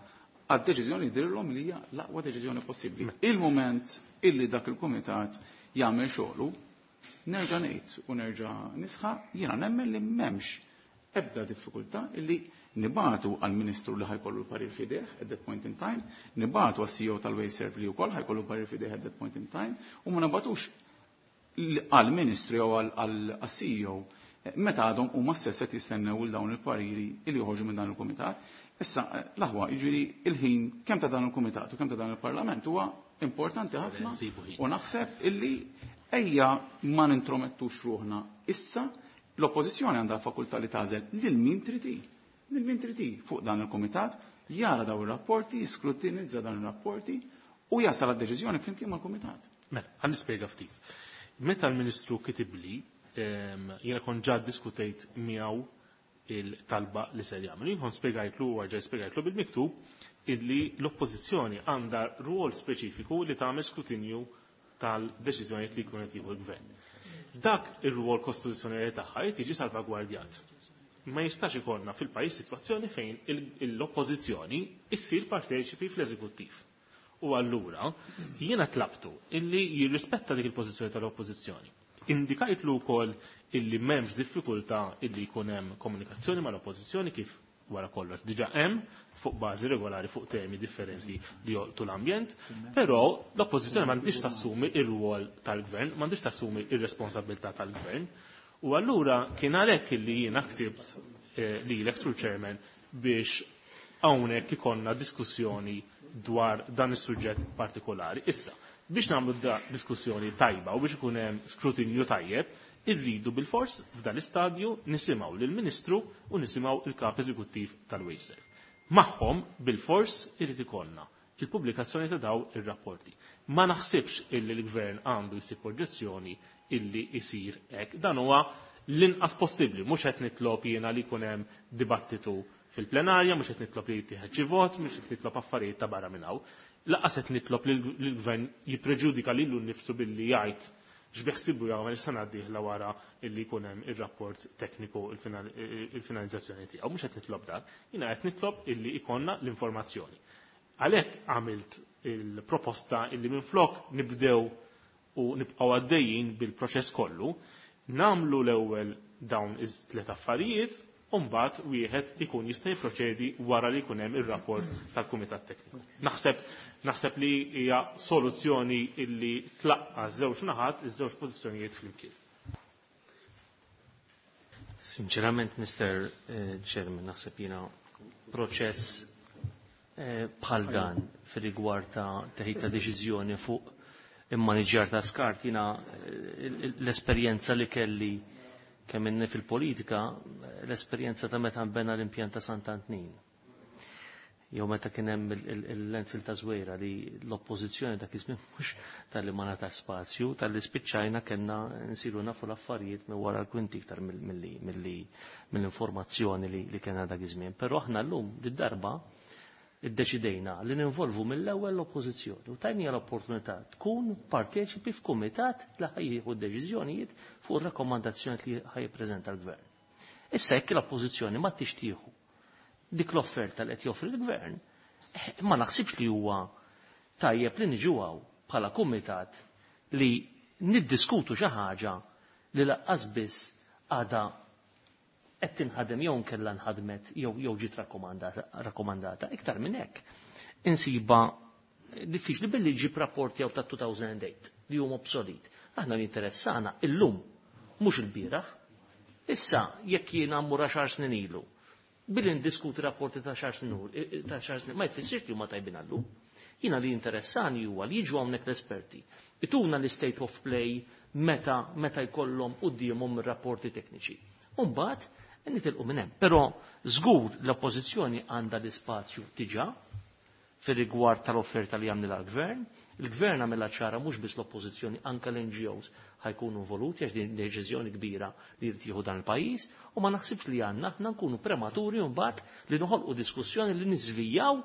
għad-deċiżjoni jidhirlhom li hija l-aqwa deċiżjoni possibbli. Il-mument illi dak il-kumitat jagħmel xogħlu, nerġa' ngħid u nerġa' nisħaq, jiena nemmen li m'hemmx ebda diffikultà illi nibatu għall-Ministru li ħajkollu l-parir f'idejh at that point in time, nibatu għas-CEO tal-Wasteserv li wkoll ħajkollu l-parir f'idejh at that point in time, u ma nabatux għall-Ministru jew għall-CEO meta għadhom huma stess qed jistennew il dawn il-pariri li joħorġu minn dan il-kumitat. Issa, l-aħwa, jiġifieri il-ħin kemm ta' dan il-kumitat u kemm ta' dan il-Parlament huwa importanti ħafna u naħseb illi ejja ma nintromettux ruħna issa l-oppożizzjoni għandha l-fakultà li tagħżel lil min trid hi, lil min trid hi fuq dan il-kumitat, jara dawn ir-rapporti, jiskrutinizza dawn ir-rapporti u jasal għad-deċiżjoni flimkien mal-kumitat. Mela, ħa nispjega ftit. Meta l-Ministru kitibli, jiena kont ġa ddiskutejt miegħu il-talba li ser jagħmel. Jien kont spjegajtlu u ġej spjegajtlu bil-miktub illi l-oppożizzjoni għandha rwol speċifiku li tagħmel skrutinju tal-deċiżjonijiet li jkun qed jieħu l-gvern. Dak ir-rwol kostituzzjonali tagħha jrid jiġi salvagwardjat. Ma jistax ikollna fil-pajjiż sitwazzjoni fejn l-oppożizzjoni issir parteċipi fl-eżekuttiv. U allura jiena tlabtu illi jirrispetta dik il-pożizzjoni tal-oppożizzjoni. Indikajtlu wkoll illi m'hemmx diffikultà illi jkun hemm komunikazzjoni mal-oppożizzjoni kif wara kollox diġà hemm fuq bażi regolari fuq temi differenti li jolqtu l-ambjent, però l-oppożizzjoni m'għandix tassumi ir-rwol tal-gvern, m'għandix tassumi ir-responsabilità tal-gvern. U allura kien għalhekk illi jiena ktibt lilek Sur Chairman biex hawnhekk ikollna diskussjoni dwar dan is-suġġett partikolari. Issa, biex nagħmlu da diskussjoni tajba u biex ikun hemm skrutinju tajjeb, irridu bil-fors f'dan l-istadju nisimgħu lill-Ministru u nisimgħu il-Kap Eżekuttiv tal-Wasteserv. Magħhom bil-fors irid ikollna il-pubblikazzjoni ta' daw ir-rapporti. Ma naħsibx illi l-gvern għandu jsib oġġezzjoni illi jsir hekk. Dan huwa l-inqas possibbli, mhux qed nitlob jiena li jkun hemm dibattitu fil-plenarja, mhux qed nitlob li jittieħed xi vot, mhux qed nitlob affarijiet ta' barra minn hawn. Lanqas qed nitlob li l-gvern jippreġudika lilu nnifsu billi jgħid x'beħsibu jagħmel is-sena d-dieħla wara illi jkun hemm ir-rapport tekniku il-finalizzazzjoni tiegħu. Mhux qed nitlob dak, jiena qed nitlob illi jkollna l-informazzjoni. Għalhekk għamilt il-proposta illi minflok nibdew u nibqgħu għaddejjin bil-proċess kollu, nagħmlu l-ewwel dawn iż-tliet affarijiet u mbagħad wieħed ikun jista' jipproċedi wara li jkun hemm ir-rapport tal-Kumitat Tekniku. Naħseb naħseb li hija soluzzjoni illi tlaqqa' żewġ naħat, iż-żewġ pożizzjonijiet flimkien. Sinċerament, Mr. Chairman, naħseb jiena proċess bħal dan fir-rigward ta' teħid ta' deċiżjoni fuq immaniġġjar ta' skart, jiena l-esperjenza li kelli kemm inni fil-politika, l-esperjenza ta' meta nbena l-impjant ta' Sant'Antnin. Jew meta kien hemm il-landfill ta' Żwejra li l-oppożizzjoni dak iż-żmien mhux talli ma ngħatax spazju, talli spiċċajna kellna nsiru nafu l-affarijiet minn wara l-kwinti iktar mill-informazzjoni li kellna dak iż-żmien. Però aħna llum did-darba iddeċidejna li ninvolvu mill-ewwel l-oppożizzjoni u tajnija l-opportunità tkun parteċipi f'kumitat li ħajjieħu deċiżjonijiet fuq ir-rakkomandazzjoni li ħajjippreżenta l-gvern. Issa jekk l-oppożizzjoni ma tixtieħu dik l-offerta li qed joffri l-gvern, ma naħsibx li huwa tajjeb li niġu hawn bħala kumitat li niddiskutu xi ħaġa li laqqas biss għadha qed tinħadem jew nkella nħadmet jew ġiet rakkomandata. Iktar minn hekk insiba diffiċli billi ġib rapporti jew ta' 2008 li huma obsolit. Aħna li interessana illum mhux il-bieraħ. Issa jekk jiena mmur għaxar snin ilu, billi ndiskuti rapporti ta' xar snin ma jfissirx li huma tajbin għallum. Jiena li interessani huwa li jiġu hawnhekk l-esperti. Ituna l-state of play meta jkollhom quddiemhom ir-rapporti tekniċi. U mbagħad nitilqu minn hemm. Però żgur l-oppożizzjoni għandha l-ispazju diġà fir-rigward tal-offerta li għamilha l-gvern. Il-gvern għamilha ċara mhux biss l-oppożizzjoni, anke l-NGOs ħajkunu involuti għax din deċiżjoni kbira li jrid jieħu dan il-pajjiż u ma naħsibx li għandna aħna nkunu prematuri mbagħad li noħolqu diskussjoni li niżvijaw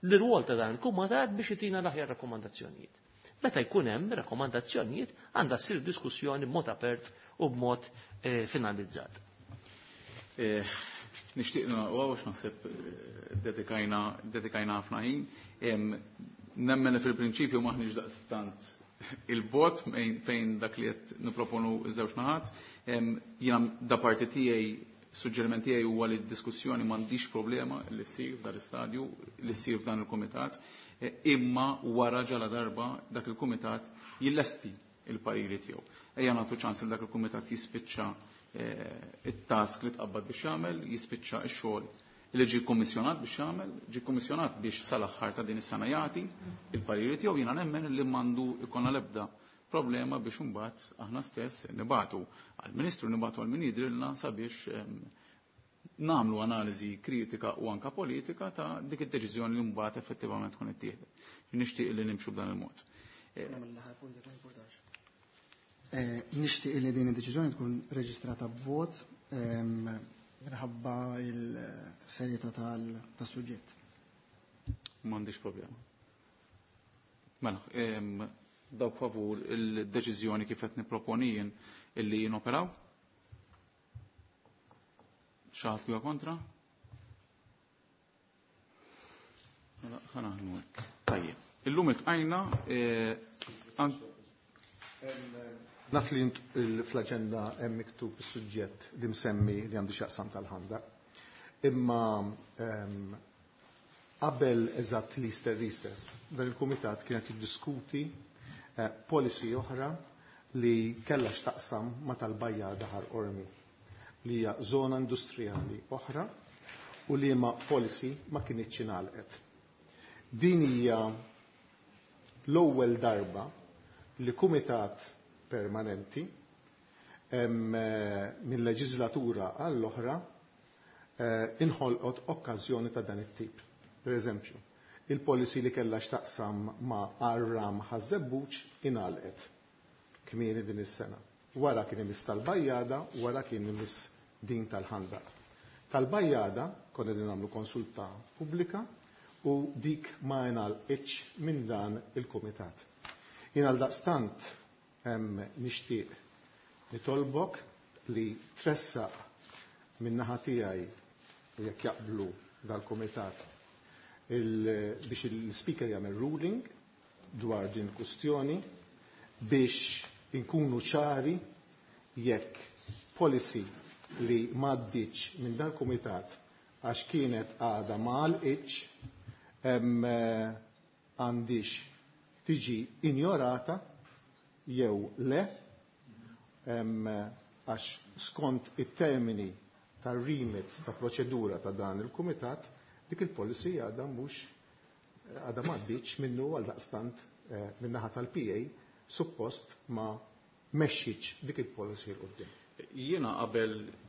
l-rwol ta' dan il-kumitat biex itina l-aħjar rakkomandazzjonijiet. Meta jkun hemm rakkomandazzjonijiet għandha ssir diskussjoni b'mod apert u b'mod finalizzat. Nixtieq nagħlqu għax naħseb dedikajna ħafna ħin. Nemmen li fil-prinċipju maħniex daqstant il-bot fejn dak li qed nipproponu ż-żewġ naħat. Jiena da parti tiegħi, suġġeriment tiegħi huwa li d-diskussjoni m'għandix problema li ssir f'dan l-istadju, li ssir f'dan il-kumitat, imma wara ġala darba dak il-kumitat jillesti il-pariri tiegħu. Ejja nagħtu ċans li dak il-kumitat jispiċċa it-task li tqabbad biex jagħmel, jispiċċa x-xogħol li ġie kkummissjonat biex jagħmel, ġie kkummissjonat biex sal-aħħar ta' din is-sena jagħti il-pariri tiegħu. Jiena nemmen li m'għandu jkollna l-ebda problema biex imbagħad aħna stess nibatu għall-Ministru, nibatu għal min jidrilna sabiex nagħmlu analiżi kritika u anka politika ta' dik id-deċiżjoni li mbagħad effettivament tkun ittieħdet. Nixtieq li nimxu b'dan il-mod. Nixtieq li din id-deċiżjoni tkun reġistrata b'vot minħabba il-serjetà tas-suġġett. M'għandix problema. Mela, dawk favur il-deċiżjoni kif qed nipproponi jien illi jinoperaw? Xi ħadd li huwa kontra? Mela, ħa naħdmu hekk. Tajjeb. Illum iltqajna Naf li fl-aġenda hemm miktub is-suġġett li msemmi li għandu x'jaqsam tal-ħanda. Imma qabel eżatt l-Easter recess, dan il-kumitat kienet jiddiskuti policy oħra li kellha x'taqsam ma' tal-Bajjada Ħar Qormi, li hija żona industrijali oħra u li ma' policy ma kinitx ingħalqet. Din hija l-ewwel darba li kumitat permanenti mill-leġislatura għall-oħra inħolqot okkażjoni ta' dan it-tip. Per eżempju, il-policy li kellha x'taqsam ma' Arram Ħaż-Żebbuġ ingħalqet kmieni din is-sena. Wara kien imiss tal-Bajjada, wara kien imiss din tal-Ħandaq. Tal-Bajjada konna qegħdin nagħmlu konsulta pubblika u dik ma ingħalqitx minn dan il-kumitat. Jien għaldaqstant nixtieq nitolbok li tressaq min-naħa tiegħi u jekk jaqblu dal-kumitat biex il-speaker jagħmel ruling dwar din il-kustjoni biex inkunu ċari jekk policy li m'għaddietx minn dal-kumitat għax kienet għadha ma għalqitx għandix tiġi injorata jew le, għax skont it-termini tar-remits ta' proċedura ta' dan il-kumitat, dik il-policy għadha mhux għadha m'għaddietx minnu, għaldaqstant min-naħa tal-PA suppost ma mexxitx dik il-policy 'l quddiem. Jiena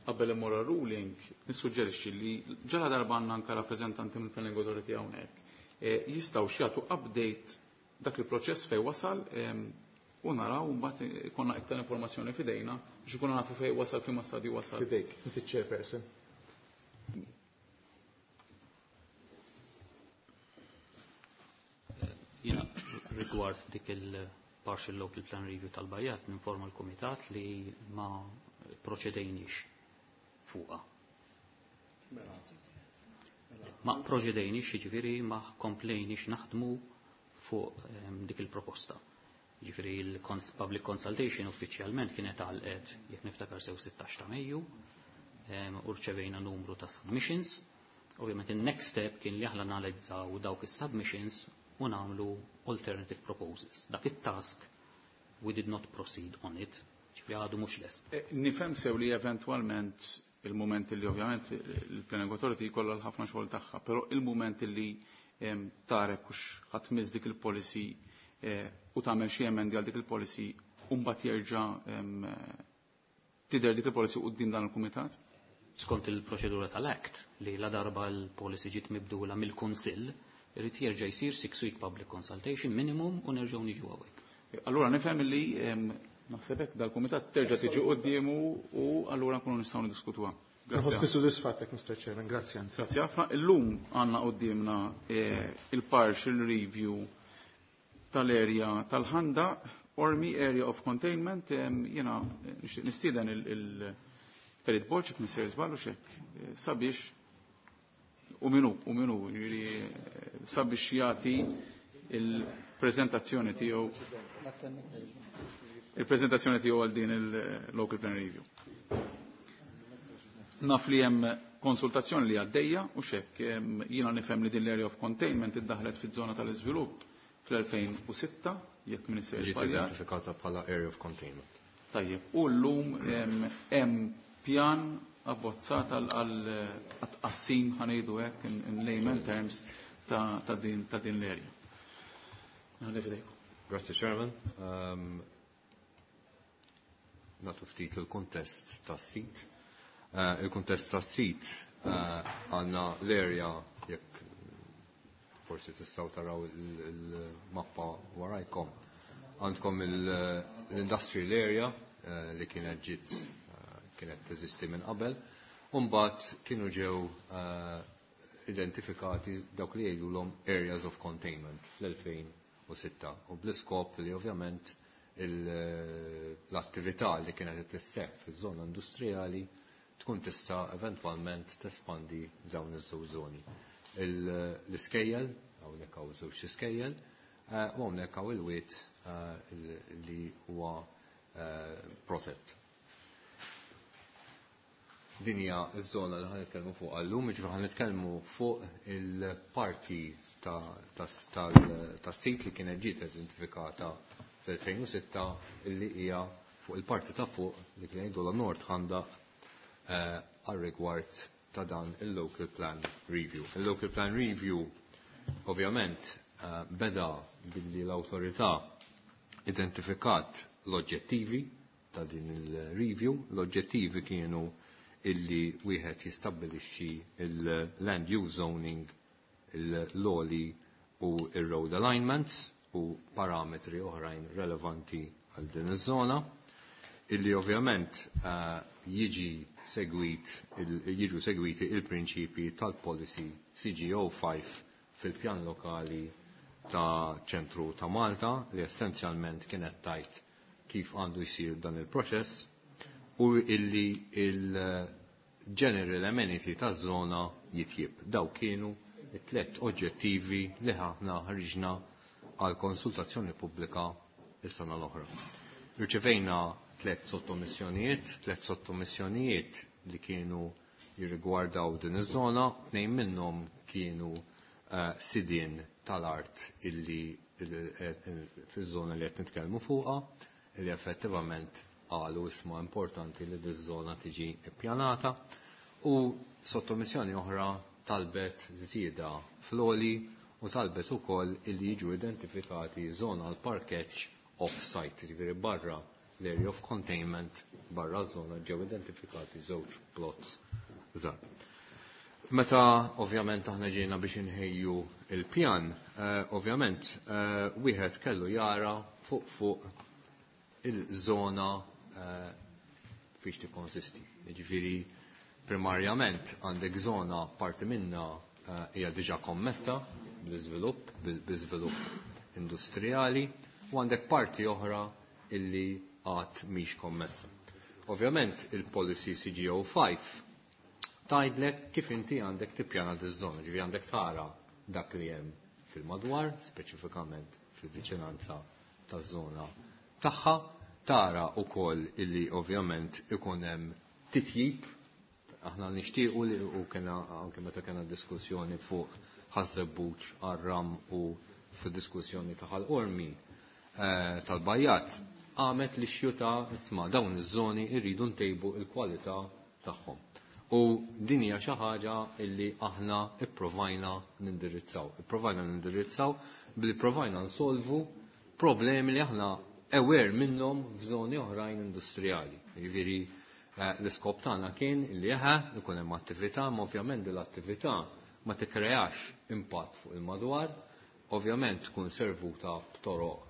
qabel immur ruling nissuġġerixxi li ġala darba għandna anke rappreżentanti mill-Planning Authority hawnhekk, jistgħu jagħtu update dak il-proċess fejn wasal u naraw mbagħad ikollna iktar informazzjoni f'idejna biex ikunu nafu fejn wasal, f'liema stadju wasal. F'idejk, inti chairperson. Jiena rigward dik il-partial local plan review tal-Bajjat ninforma l-Kumitat li ma proċedejniex fuqha. Ma proċedejniex, jiġifieri ma komplejniex naħdmu fuq dik il-proposta. Jiġifieri il-public consultation uffiċjalment kienet għalqet, jekk niftakar sew, 16 ta' Mejju, u rċevejna numru ta' submissions. Ovvjament il-next step kien li aħna analizzaw dawk is-submissions u nagħmlu alternative proposals. Dak it-task we did not proceed on it, ġifieri għadu mhux lest. Nifhem sew li eventwalment il-moment li ovvjament il-Planning Authority jkollha l-ħafna xogħol tagħha, però il-moment li tara hux ħa tmiss dik il-policy u tagħmel xi emendi għal dik il-policy u mbagħad jerġa' tidher dik il-policy quddiem dan il-kumitat? Skont il-proċedura tal-Act, li la darba l-policy ġiet mibdula mill-Kunsill, irid jerġa' jsir 6 week public consultation minimum u nerġgħu niġu hawnhekk. Allura nifhem li naħseb hekk dal-kumitat terġa' tiġi quddiemu u allura nkunu nistgħu niddiskutuha. Nħossni sodisfatt, Mr. Chairman, grazzi anzi. Grazzi ħafna. Illum għandna quddiemna il-partial review tal-area tal-Ħandaq, Qormi Area of Containment, jiena nixtieq nistieden il-Perit Borg, jekk nisir żball u xek, sabiex u minu, jiġifieri, sabiex jagħti il-preżentazzjoni tiegħu għal din il-Local Plan Review. Naf li hemm konsultazzjoni li għaddejja u xek jiena nifhem li din l-area of containment iddaħlet fiż-żona tal-iżvilupp fl-2006, jekk Minister Ġiet identifikata bħala area of containment. Tajjeb, u llum hemm pjan abbozzat għal tqassim, ħa ngħidu hekk in layman terms, ta' din l-area. Nħalli f'idejkom. Grazie, Chairman. Nagħtu ftit il-kontest tas-sit. Il-kontest tas-sit għandna l-area, jekk forsi tistgħu taraw il-mappa warajkom. Għandkom l-industrial area li kienet ġiet kienet teżisti minn qabel. Umbagħad kienu ġew identifikati dawk li jgħidulhom areas of containment fl-2006 u bl-iskop li ovvjament l-attività li kienet tisseħ fiż-żona industrijali tkun tista' eventwalment tespandi dawn iż-żewġ żoni. L-iskejjel, hawnhekk hawn żewġ iskejjel, u hawnhekk hawn il-wied li huwa protett. Din hija ż-żona li ħa nitkellmu fuq għallum, jiġifieri ħa nitkellmu fuq il-parti tas-sit li kienet ġiet identifikata fl-2006, illi hija fuq il-parti ta' fuq li kien jgħidu la North Ħandaq għal rigward ta' dan il-Local Plan Review. Il-Local Plan Review ovvjament beda billi l-awtorità identifikat l-oġġettivi ta' din il-review. L-oġġettivi kienu illi wieħed jistabbilixxi il-land use zoning, il-loli u il-road alignments u parametri oħrajn relevanti għal din iż-żona illi ovvjament jiġi segwit jiġu segwiti il-prinċipi tal-policy CGO5 fil-pjan lokali ta' ċentru ta' Malta li essenzjalment kienet tajt kif għandu jsir dan il-proċess u illi il-general amenity ta' zona jitjib. Daw kienu it-tlet oġġettivi li ħafna ħriġna għal konsultazzjoni pubblika is-sena l-oħra. Irċevejna tlet sottomissjonijiet, tlet sottomissjonijiet li kienu jirrigwardaw din iż-żona, tnejn minnhom kienu sidien tal-art illi fiż-żona li qed nitkellmu fuqha, illi effettivament qalu isma' importanti li diż-żona tiġi ippjanata u sottomissjoni oħra talbet żieda fl-oli u talbet ukoll illi jiġu identifikati żona għal parkeġġ off-site, jiġifieri barra l-area of containment, barra żona ġew identifikati żewġ plots żgħar. Meta ovvjament aħna ġejna biex inħejju il-pjan, ovvjament wieħed kellu jara fuq fuq il-żona fiex tikkonsisti. Jiġifieri primarjament għandek żona parti minna hija diġà kommessa bl-iżvilupp, bl-iżvilupp industrijali, u għandek parti oħra illi għad mhix kommessa. Ovvjament il-policy CGO5 tgħidlek kif inti għandek tippjana diż-żona, ġifieri għandek tara dak li hemm fil-madwar, speċifikament fil-viċinanza taż-żona tagħha, tara wkoll illi ovvjament ikun hemm titjib. Aħna nixtiequ li u kena anke meta kena diskussjoni fuq Ħaż-Żebbuġ għar-Ram u fid-diskussjoni ta' Ħal Qormi tal-Bajjat, għamet li xjuta isma' dawn iż-żoni rridu ntejbu l-kwalità tagħhom. U din hija xi ħaġa illi aħna ipprovajna nindirizzaw. Ipprovajna nindirizzaw billi provajna nsolvu problemi li aħna aware minnhom f'żoni oħrajn industrijali. Jiġifieri l-iskop tagħna kien illi eħe ikun hemm attività, ma ovvjament din l-attività ma tikkreax impatt fuq il-madwar, ovvjament tkun servuta b'toroq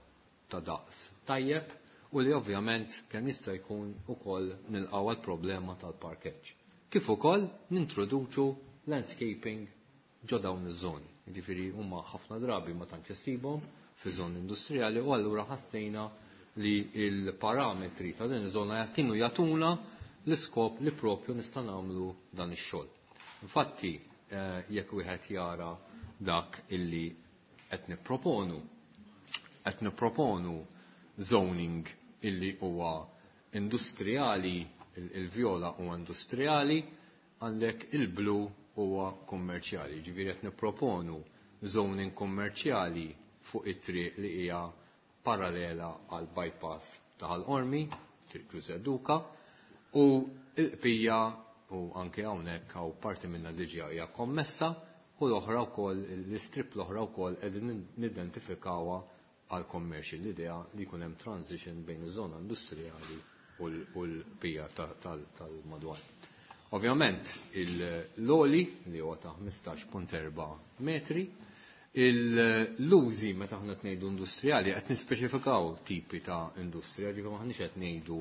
ta' daqs tajjeb u li ovvjament kemm jista' jkun ukoll nilqgħu għall-problema tal-parkeġġ. Kif ukoll nintroduċu landscaping ġo dawn iż-żoni. Jiġifieri huma ħafna drabi ma tantx issibhom fi żoni industrijali u allura ħassejna li l-parametri ta' din iż-żona kienu jagħtuna l-iskop li propju nista' nagħmlu dan ix-xogħol. Infatti, jekk wieħed jara dak illi qed nipproponu, qed nipproponu zoning illi huwa industrijali, il-vjola huwa industrijali, għandek il-blu huwa kummerċjali. Ġifieri qed nipproponu zoning kummerċjali fuq it-triq li hija parallela għal bypass ta' Ħal Qormi, Triq Ġużè Duka, u l-qbija u anke hawnhekk hawn parti minnha diġà hija kommessa u l-oħra wkoll l-istrip l-oħra wkoll qegħdin nidentifikawha għal commercial, l-idea li jkun hemm transition bejn iż-żona industrijali u l-bija tal-madwar. Ovvjament l-oli li huwa ta' 15.4 metri, l-użi meta aħna qed ngħidu industrijali qed nispeċifikaw tipi ta' industrija, ġifieri m'aħniex qed ngħidu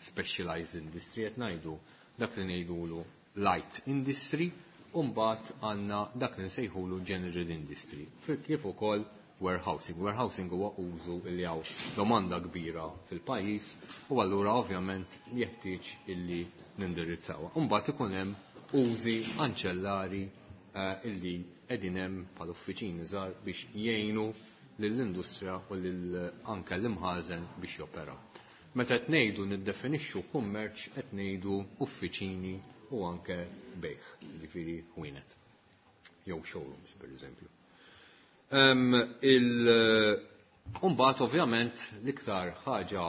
specialized industry, qed ngħidu dak li ngħidulu light industry, u mbagħad għandna dak li nsejħulu general industry, kif ukoll warehousing. Warehousing huwa użu li hawn domanda kbira fil-pajjiż u allura ovvjament jeħtieġ illi nindirizzawha. U mbagħad ikun hemm użi anċellari illi qegħdin hemm bħal uffiċini żgħar biex jgħinu lill-industrija u lil anke l-imħażen biex joperaw. Meta qed ngħidu niddefinixxu kummerċ qed ngħidu uffiċini u anke bejħ, jiġifieri ħwienet jew showrooms pereżempju. Imbagħad ovvjament l-iktar ħaġa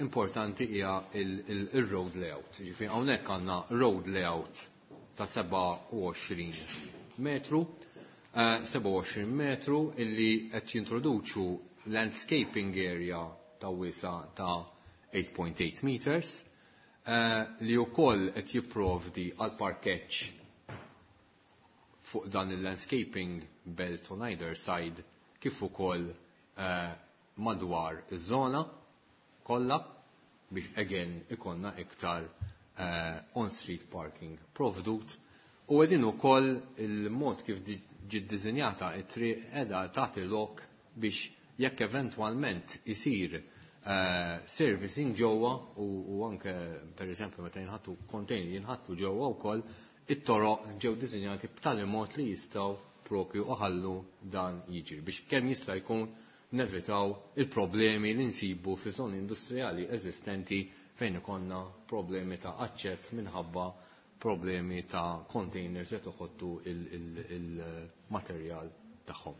importanti hija il-road layout. Jiġifieri hawnhekk għandna road layout ta' 27 metru, 27 metru illi qed jintroduċu landscaping area ta' wisa ta' 8.8 meters. li wkoll qed jipprovdi għal parkeġġ fuq dan il-landscaping belt on either side kif ukoll madwar iż-żona kollha biex again ikonna iktar on-street parking provdut. U għedin ukoll il-mod kif ġiet dizinjata it-triq qiegħda tagħti lok biex jekk eventwalment isir servicing ġewwa u anke pereżempju meta jinħattu container jinħattu ġewwa wkoll, it-toroq ġew dizinjati b'tali mod li jistgħu propju uħallu dan jiġri biex kemm jista' jkun nevitaw il-problemi li nsibu fi żoni industrijali eżistenti fejn ikonna problemi ta' aċċess minħabba problemi ta' containers li toħoddu il-materjal tagħhom.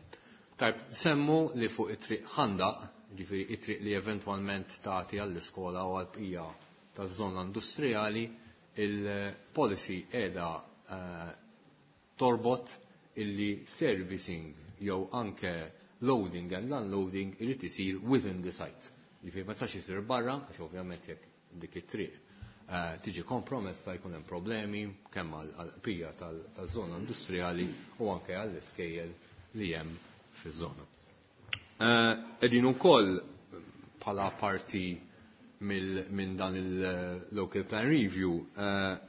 Tajb, semmu li fuq it-triq Ħandaq, ġifieri it-triq li eventwalment tagħti għall-iskola u għall-bqija taż-żona industrijali, il-policy qiegħda torbot illi servicing jew anke loading and unloading irid isir within the site. Ġifieri ma tistax isir barra, għax ovvjament jekk dik it-triq tiġi kompromessa jkun hemm problemi kemm għall-bqija taż-żona industrijali u anke għall-iskejjel li hemm fiż-żona. Qegħdin ukoll bħala parti minn dan il-Local Plan Review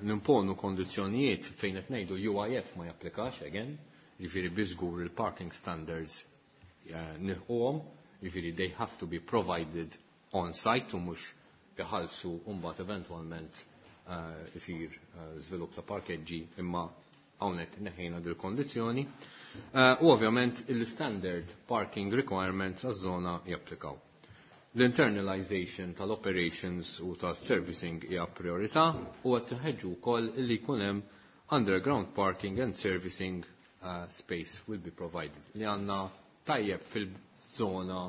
nimponu kondizzjonijiet fejn qed ngħidu UIF ma japplikax again, jiġifieri biżgur il-parking standards nilħquhom, jiġifieri they have to be provided on site u mhux iħallsu u mbagħad eventwalment isir żvilupp ta' parkeġġi, imma hawnhekk neħejna dil kondizzjoni. U ovvjament il-standard parking requirements għaż-żona japplikaw. L-internalization tal-operations u tas-servicing hija priorità u qed tinħeġġu wkoll li jkun hemm underground parking and servicing space will be provided. Li għandna tajjeb fil-żona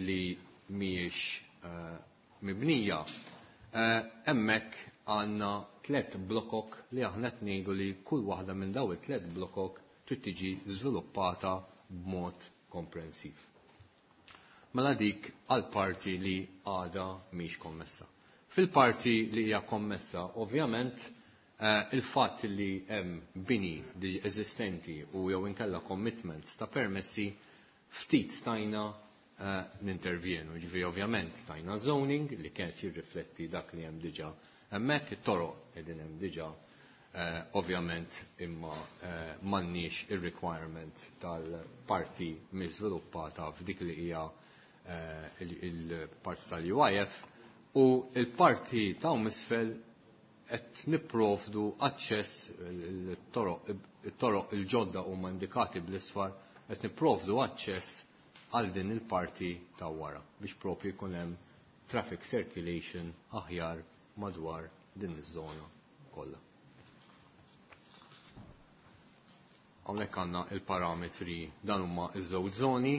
li mhijiex mibnija. Hemmhekk għandna 3 blokok li aħna qed ngħidu li kull waħda minn daw it-3 blokok trid tiġi żviluppata b'mod komprensiv. Mela dik għal parti li għada mhix kommessa. Fil-parti li hija kommessa, ovvjament, il-fatt li hemm bini li eżistenti u jew inkella commitments ta' permessi ftit stajna nintervjenu. Ġifieri ovvjament stajna zoning li kienet jirrifletti dak li hemm diġà hemmhekk, it-toroq qegħdin hemm diġà, ovvjament imma m'għandniex ir-requirement tal-parti miżviluppata f'dik li hija il-parti tal-UIF u il-parti ta' misfel qed nipprovdu aċċess it-toroq il-ġodda huma indikati bl-isfar, qed nipprovdu aċċess għal din il-parti ta' wara biex propju jkun hemm traffic circulation aħjar madwar din iż-żona kollha. Hawnhekk għandna il-parametri, dan huma iż-żewġ żoni,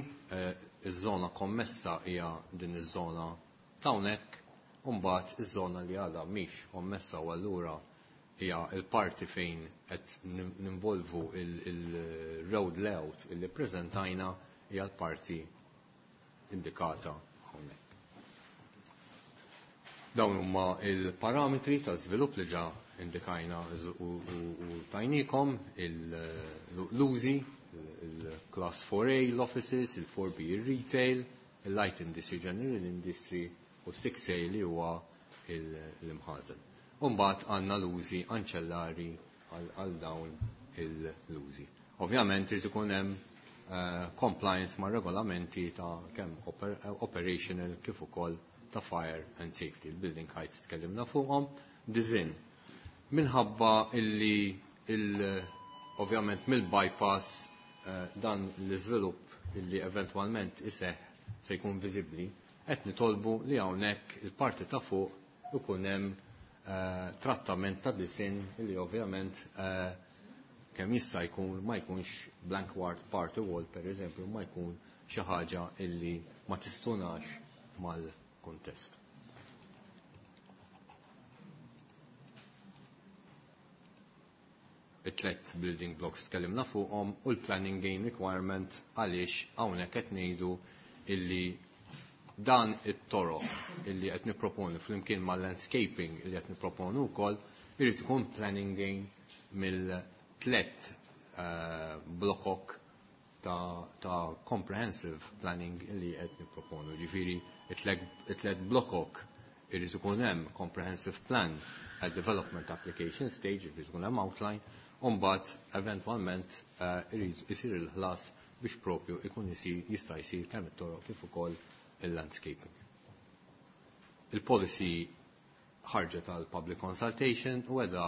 iż-żona kommessa hija din iż-żona ta' hawnhekk, u mbagħad iż-żona li għadha mhix kommessa u allura hija l-parti fejn qed ninvolvu il-road layout illi ppreżentajna hija l-parti indikata hawnhekk. Dawn huma il-parametri ta' żvilupp li ġa indikajna u tajnikom, l-użi, il-class 4A, l-offices, il-4B, il-retail, il-light industry, general industry u 6A li huwa l-imħażen. Umbagħad għandna l-użi anċellari għal dawn l-użi. Ovvjament irid ikun hemm compliance ma' regolamenti ta' kemm operational kif ukoll ta' fire and safety. Il-building heights tkellimna fuqhom. Design. Minħabba illi ovvjament mill-bypass dan l-iżvilupp illi eventwalment iseħħ se jkun viżibbli, qed nitolbu li hawnhekk il-parti ta' fuq ikun hemm trattament ta' design illi ovvjament kemm jista' jkun ma jkunx blank ward party wall per eżempju, ma jkun xi ħaġa illi ma tistunax mal-kontest. It-tlet building blocks tkellimna fuqhom u l-planning gain requirement għaliex hawnhekk qed ngħidu illi Dan it-toroq illi qed nipproponu flimkien mal-landscaping illi qed nipproponu wkoll irid ikun planning gain mill-tlet blokok ta' comprehensive planning illi qed nipproponu. Ġifieri it-tlet blokok irid ikun hemm comprehensive plan at development application stage, irid ikun hemm outline, u mbagħad eventwalment irid isir il-ħlas biex propju ikun jista' jsir kemm it-toroq kif ukoll il-landscaping. Il-policy ħarġet għal public consultation u għedha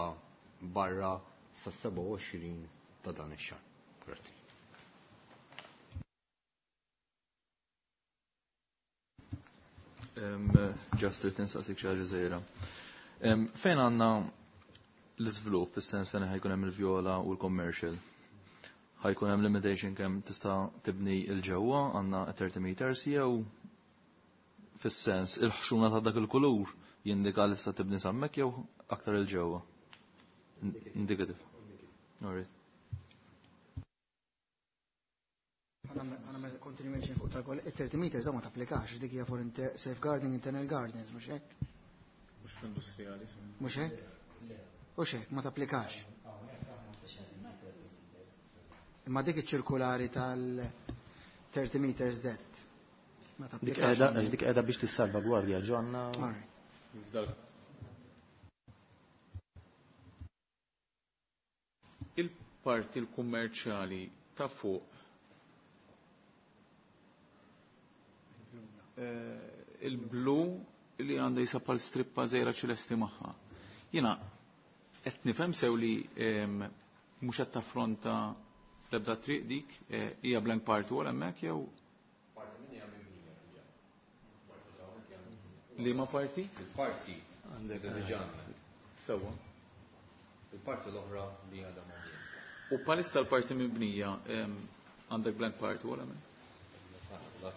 barra sa 27 ta' dan ix-xahar. Grazzi. Just irrid nistaqsik xi ħaġa żgħira. Fejn għandna l-iżvilupp, fis-sens fejn ħajkun hemm il-vjola u l-commercial? Ħajkun hemm limitation kemm tista' tibni il-ġewwa għandna 30 meters jew fis-sens il-ħxuna ta' dak il-kulur jindika li tista' tibni sammek jew aktar il-ġewwa? Indicative. All right. Għana continuation fuq tal-koll, 30 meters ma tapplikax, dik hija for safeguarding internal gardens, mhux hekk? Mhux fl-industrijali. Mhux hekk? Mhux hekk, ma tapplikax. Imma dik iċ-ċirkulari tal-30 meters det. Ma tapplikax. Dik qiegħda biex tissalvagwardja ġonna. Il-parti l-kummerċjali ta' fuq il-blu li għandha jisa pal strippa żejra ċelesti magħha. Jiena qed nifhem sew li mhux qed taffronta l-ebda triq dik hija blank party wall hemmhekk jew Parti minn hija mibnija diġà. Liema parti? Il-parti għandek diġà. Sewwa. Il-parti l-oħra li għadha mibnija. U palissa l-parti mibnija għandek blank party wall hemmhekk?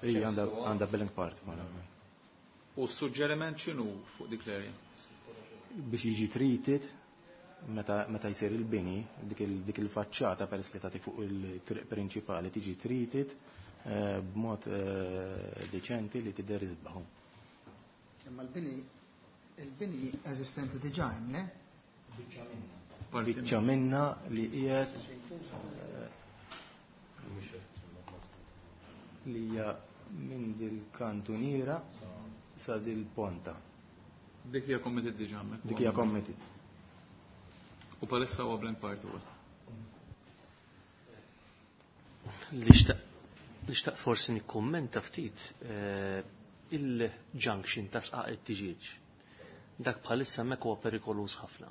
Ija, għandha blank part wall hemmhekk. U s-suġġeriment x'inhu fuq dik l-area? Biex jiġi treated meta jsir il-bini, dik il-faċċata peress li tagħti fuq il-triq prinċipali tiġi treated b'mod deċenti li tidher isbaħu. Imma il-bini eżistenti diġà hemm, le? Biċċa minna. Biċċa minna li qiegħed li hija minn dil-kantuniera sa dil-ponta. Dik hija committed diġà hemmhekk. Dik hija committed. U palissa huwa blank party wall. Li xtaq forsi nikkummenta ftit il-junction ta' sqaq it-tiġieġ. Dak bħalissa hemmhekk huwa perikoluż ħafna.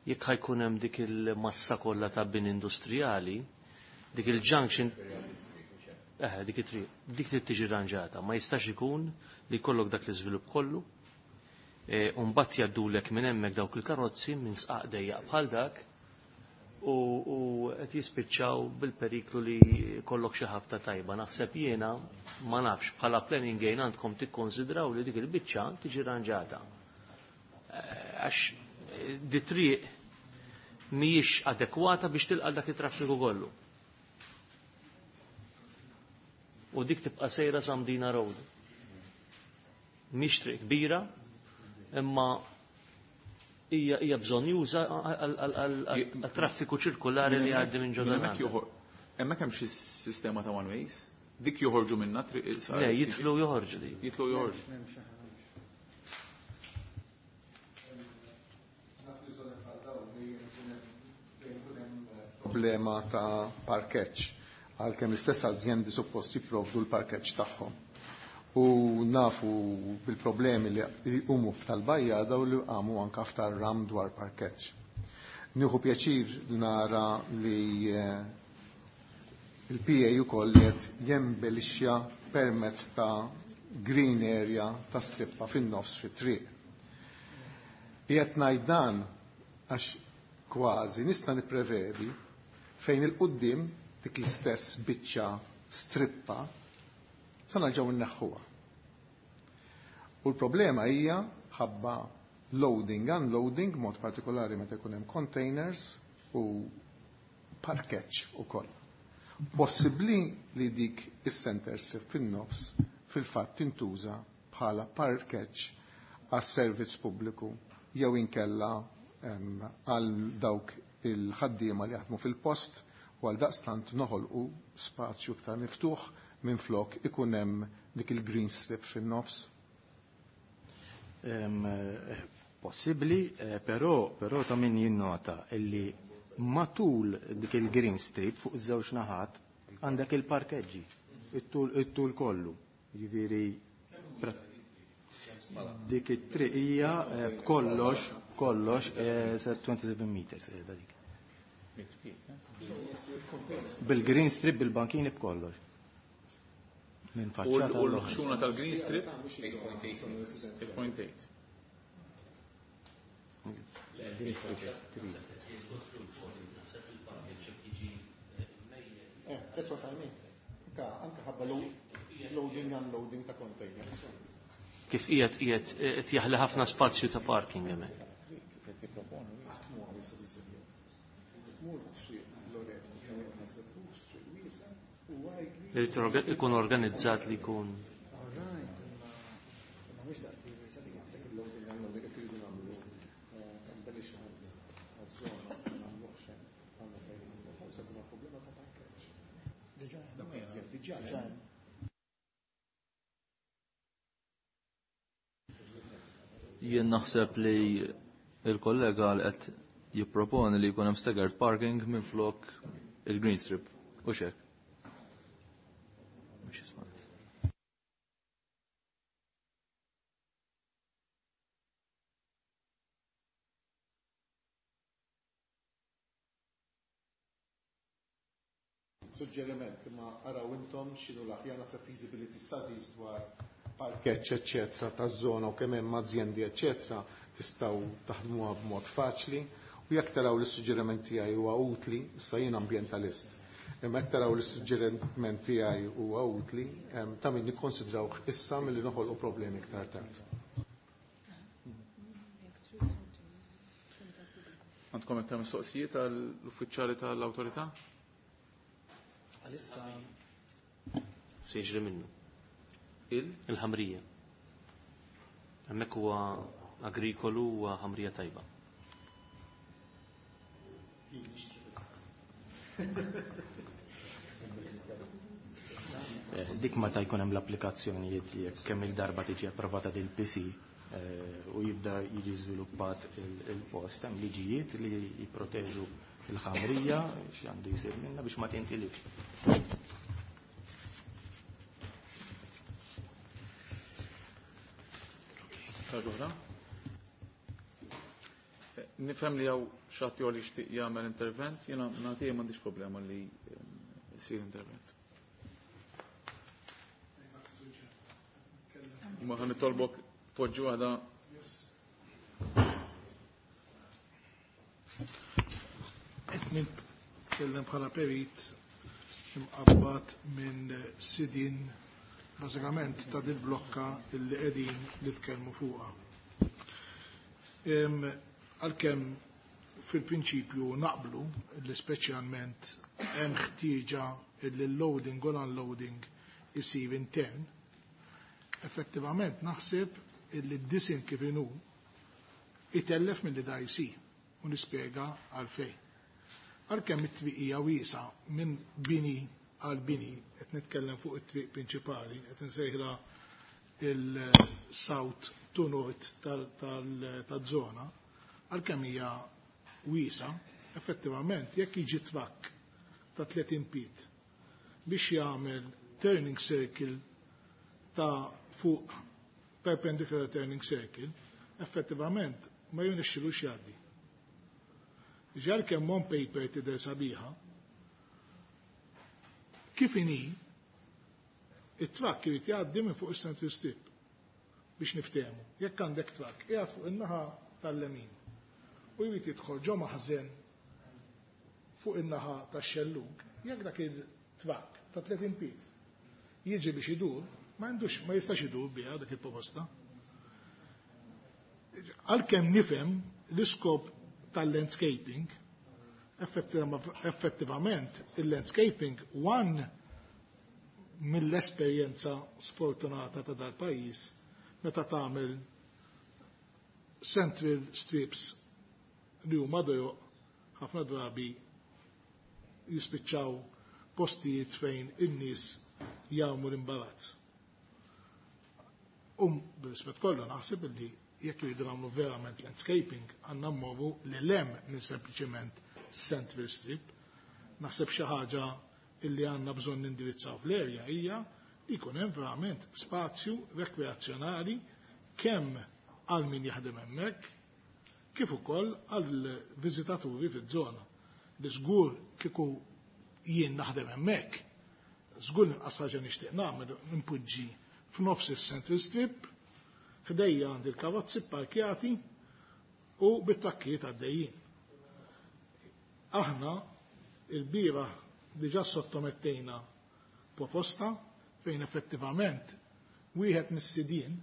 Jekk ħajkun hemm dik il-massa kollha ta' bin industrijali, dik il-junction dik it-triq, dik trid tiġi rranġata, ma jistax ikun li jkollok dak l-iżvilupp kollu, u mbagħad jgħaddulek minn hemmhekk dawk il-karozzi minn sqaq dejjaq bħal dak u qed jispiċċaw bil-periklu li kollok xi ħabta tajba. Naħseb jiena ma nafx bħala planning gain għandkom tikkonsidraw li dik il-biċċa tiġi rranġata. Għax di triq mhijiex adekwata biex tilqa' dak it-traffiku kollu. U dik tibqa' sejra sa Mdina Road. Mhix triq kbira, imma hija bżonn juża għal-traffiku ċirkulari li għaddi minn ġodda. Hemmhekk hemm xi sistema ta' one ways? Dik joħorġu minna triq il-sar? Le, jitlu joħorġu dik. Jitlu joħorġu. Problema ta' parkeġġ, għalkemm l-istess azjendi suppost jipprovdu l-parkeġġ tagħhom. U nafu bil-problemi li jqumu f'tal-bajja daw li qamu anka f'tal-ram dwar parkeġġ. Nieħu pjaċir nara li il-PA ukoll qed jembellixxa permezz ta' green area ta' strippa fin-nofs fit-triq. Qiegħed ngħid dan għax kważi nista' nipprevedi fejn il-qudiem dik l-istess biċċa strippa sa nerġgħu nneħħuha. U l-problema hija ħabba loading, unloading, mod partikolari meta jkun hemm containers u parkeġġ ukoll. Possibbli li dik is-center strip fin-nofs fil-fatt tintuża bħala parkeġġ għas-servizz pubbliku jew inkella għal dawk il-ħaddiema li jaħdmu fil-post u għal daqstant noħolqu spazju iktar miftuħ minn flok ikun hemm dik il-green strip fin-nofs? Possibbli, però ta' min jinnota illi matul dik il-green strip fuq iż-żewġ naħat għandek il-parkeġġi, it-tul kollu. Jiġifieri dik it-triq hija b'kollox, kollox 27 meters qiegħda dik. Bil-green strip, bil-bankini b'kollox. Minn faċċata. U l-ħxuna tal-green strip? 8.8. That's what I mean. Anka ħabba loading unloading ta' containers. Kif qiegħed qiegħed qed jaħli ħafna spazju ta' parking hemmhekk. Irid ikun organizzat li jkun. Jien naħseb li il-kollega li qed jipproponi li jkun hemm staggered parking minn flok il-green strip u xek. Mhux jisma'. Suġġeriment ma araw intom x'inhu l-aħjar naħseb feasibility studies dwar parkeġġ eċċetera taż-żona u kemm hemm azjendi eċċetera tistgħu taħdmuha b'mod faċli u jekk taraw li s-suġġeriment tiegħi huwa utli, issa jien ambjentalist. Imma jekk taraw li s-suġġeriment tiegħi huwa utli, ta' min nikkonsidrawh issa milli noħolqu problemi iktar tard. Għandkom iktar mistoqsijiet għall-uffiċjali tal-awtorità? Għalissa Se jiġri minnu. Il? Il-ħamrija. Hemmhekk huwa agrikolu huwa ħamrija tajba. Dik meta jkun hemm l-applikazzjonijiet jekk kemm il-darba tiġi approvata dil PC u jibda jiġi żviluppat il-post, hemm liġijiet li jipproteġu il-ħamrija x'għandu jsir minnha biex ma tintilifx. Ħaġa Nifhem li hawn xi li jixtieq jagħmel intervent, jiena nagħtih m'għandix problema li jsir intervent. Ma ħa nitolbok poġġi waħda. Qed nitkellem bħala perit imqabbad minn sidin bażikament ta' dil-blokka illi qegħdin nitkellmu fuqha. Għalkemm fil-prinċipju naqblu li speċjalment hemm ħtieġa illi l-loading u l-unloading isir intern, effettivament naħseb illi d-disin kif inhu itellef milli da jsir u nispjega għalfejn. Għalkemm it-triq hija wiesa minn bini għal bini, qed nitkellem fuq it-triq prinċipali, qed insejħla il-south to north tal-żona, għalkemm hija wiesa, effettivament jekk jiġi trakk ta' 30 feet biex jagħmel turning circle ta' fuq perpendicular turning circle, effettivament ma jirnexxilux jgħaddi. Ġar kemm on paper tidher sabiħa, kif inhi it-trakk irid jgħaddi minn fuq is-central strip biex niftehmu. Jekk għandek trakk qiegħed fuq in-naħa tal-lemin u jrid jidħol ġo maħżen fuq in-naħa tax-xellug, jekk dak il-trakk ta' 30 feet jiġi biex idur, ma għandux, ma jistax idur biha dak il-proposta. Għalkemm nifhem l-iskop tal-landscaping, effettivament il-landscaping one mill-esperjenza sfortunata ta' dal-pajjiż meta tagħmel central strips li huma dojoq ħafna drabi jispiċċaw postijiet fejn in-nies jagħmlu l-imbarazz. Bil-rispett kollu naħseb li jekk jridu nagħmlu verament landscaping għandna mmorru lil hemm minn sempliċiment central strip. Naħseb xi ħaġa illi għandna bżonn nindirizzaw fl-erja hija li jkun hemm verament spazju rekreazzjonali kemm għal min jaħdem hemmhekk kif ukoll għal viżitaturi fiż-żona. Li żgur kieku jien naħdem hemmhekk, żgur l-inqas ħaġa nixtieq nagħmel npoġġi f'nofs is-Central Strip, ħdejja għandi l-karozzi pparkjati u bit-trakkijiet għaddejjin. Aħna il-bieraħ diġà sottomettejna proposta fejn effettivament wieħed mis-sidien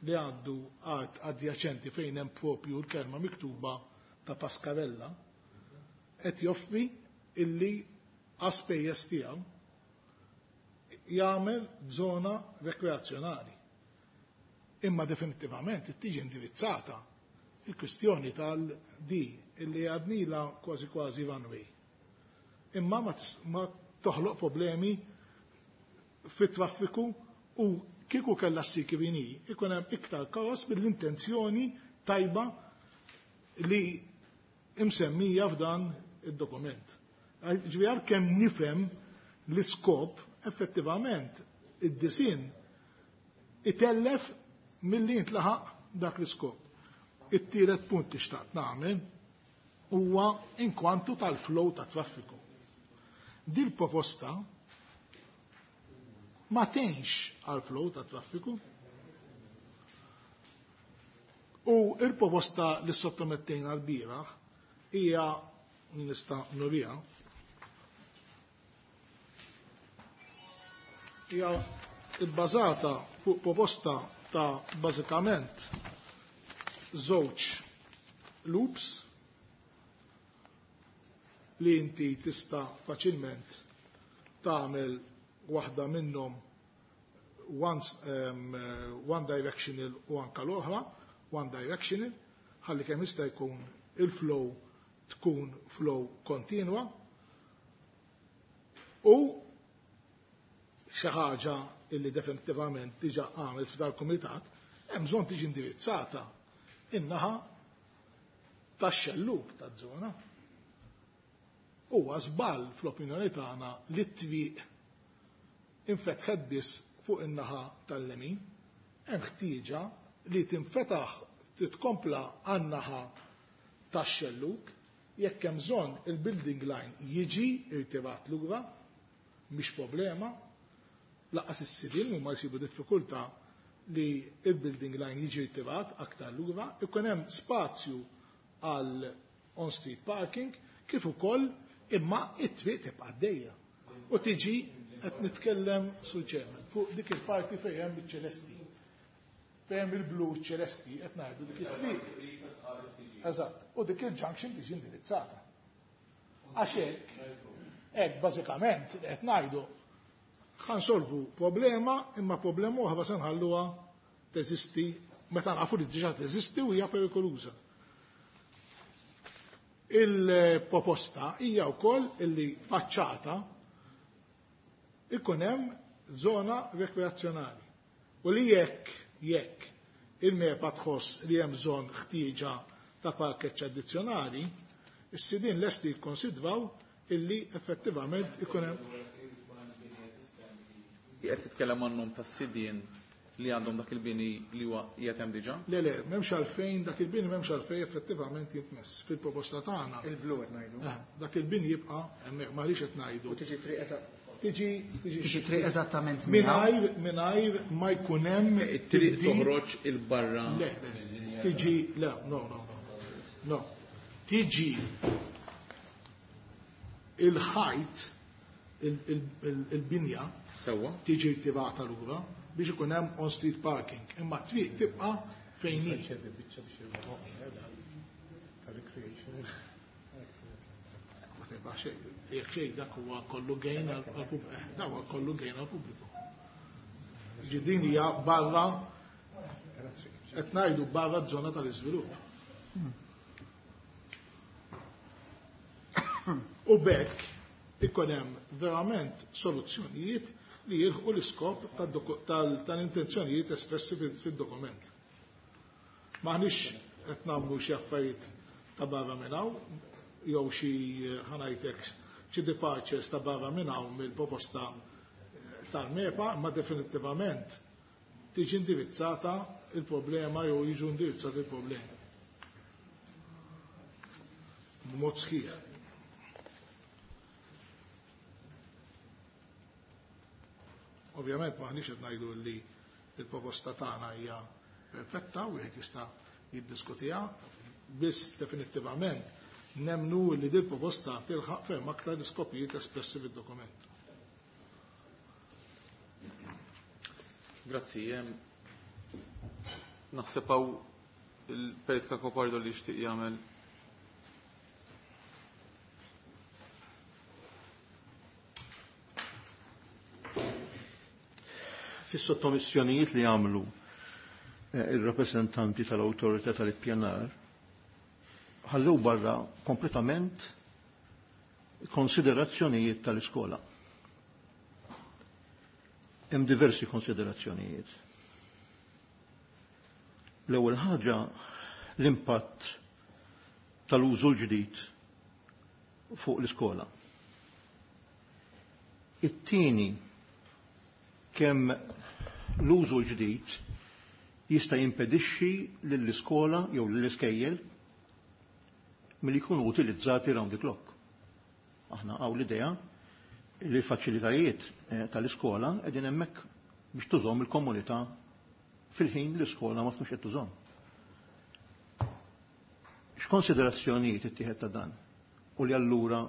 li għandu art adjaċenti fejn hemm propju l-kelma miktuba ta' Pascarella qed joffri illi għas-spejjeż tiegħu jagħmel żona rekreazzjonali. Imma definittivament tiġi indirizzata il-kwistjoni tal-D illi għadnila kważi kważi one way. Imma ma toħloq problemi fit-traffiku u kieku kellha ssir kif inhi, ikun hemm iktar kaos mill-intenzjoni tajba li imsemmija f'dan id-dokument. Ġifieri kemm nifhem l-iskop effettivament id-disin itellef milli jintlaħaq dak l-iskop. It-tielet punt li xtaqt nagħmel huwa inkwantu tal-flow ta' traffiku. Dil proposta ma tgħinx għal flow ta' traffiku. U il-proposta li sottomettejna l-bieraħ hija nista' nuriha hija bbażata fuq proposta ta' bażikament żewġ loops li inti tista' faċilment tagħmel waħda minnhom one directional u anka l-oħra one directional ħalli kemm jista' jkun il-flow tkun flow kontinwa u xi ħaġa illi definitivament diġà għamlet f'dal-kumitat hemm bżonn tiġi indirizzata in-naħa tax-xellug taż-żona. Huwa żball fl-opinjoni tagħna li t-triq infetħet biss fuq in-naħa tal-lemin, hemm ħtieġa li tinfetaħ titkompla għan-naħa tax-xellug, jekk hemm bżonn il-building line jiġi irtirat lura, mhix problema, lanqas is-sidien huma jsibu diffikultà li il-building line jiġi irtirat aktar lura, ikun hemm spazju għal on-street parking kif ukoll imma it-triq tibqa' għaddejja. U tiġi qed nitkellem Sur Chairman fuq dik il-parti fejn hemm iċ-ċelesti. Fejn hemm il-blu ċelesti qed ngħidu dik it-triq. Eżatt, u dik il-junction tiġi indirizzata. Għax hekk bażikament qed ngħidu ħansolvu problema imma problema oħra se nħalluha teżisti meta nafu li diġà teżisti u hija perikoluża. Il-proposta hija wkoll illi faċċata ikun hemm żona rekreazzjonali. U li jekk il-MEPA tħoss li hemm bżonn ħtieġa ta' parkeġġ addizzjonali, is-sidien lesti jikkonsidraw illi effettivament ikun hemm. Qed titkellem għan-nom tas-sidien li għandhom dak il-bini li huwa qiegħed hemm diġà? Le, le, m'hemmx għalfejn dak il-bini m'hemmx għalfejn effettivament jitmess fil-proposta tagħna. Il-blu qed ngħidu. Dak il-bini jibqa' hemmhekk ma rridx qed ngħidu. U tiġi triq eżatt. Tiġi Tiġi triq eżattament mingħajr ma jkun hemm It-triq tibdil. toħroġ il-barra. Le, le, tiġi, le, no, no, no. No. Tiġi il-ħajt il-binja Sewwa. tiġi rtirata lura biex ikun hemm on-street parking. Imma t-triq tibqa' fejn hi. Ta' recreation. Ma tibqa' xejn. Jekk xejn dak huwa kollu gain għall-pubbliku. Dak huwa kollu gain għall-pubbliku. Din hija barra qed ngħidu barra ż-żona tal-iżvilupp. U b'hekk ikun hemm verament soluzzjonijiet li jilħqu l-iskop tal-intenzjonijiet espressi fid-dokument. M'aħniex qed nagħmlu xi affarijiet ta' barra minn hawn jew xi ħanajtek xi departures ta' barra minn hawn mill-proposta tal-MEPA, imma definittivament tiġi indirizzata il-problema jew jiġu indirizzati il-problemi. B'mod sħiħ. Ovvjament m'aħniex qed ngħidu li l-proposta tagħna hija perfetta u wieħed jista' jiddiskutiha, biss definittivament nemnu li din proposta tilħaq ferm aktar l-iskopijiet espressi fid-dokument. Grazzi. Naħseb hawn il-Perit Cacopardo li jixtieq jagħmel. Fis-sottomissjonijiet li għamlu il-rappresentanti tal-Awtorità tal-Ippjanar ħallew barra kompletament konsiderazzjonijiet tal-iskola. Hemm diversi konsiderazzjonijiet. L-ewwel ħaġa l-impatt tal-użu l-ġdid fuq l-iskola. It-tieni kemm l-użu l-ġdid jista' jimpedixxi lill-iskola jew lill-iskejjel milli jkunu utilizzati round the clock. Aħna hawn l-idea li l-faċilitajiet tal-iskola qegħdin hemmhekk biex tużhom il-komunità fil-ħin l-iskola ma tkunx qed tużhom. X'konsiderazzjonijiet ittieħed ta' dan? U li allura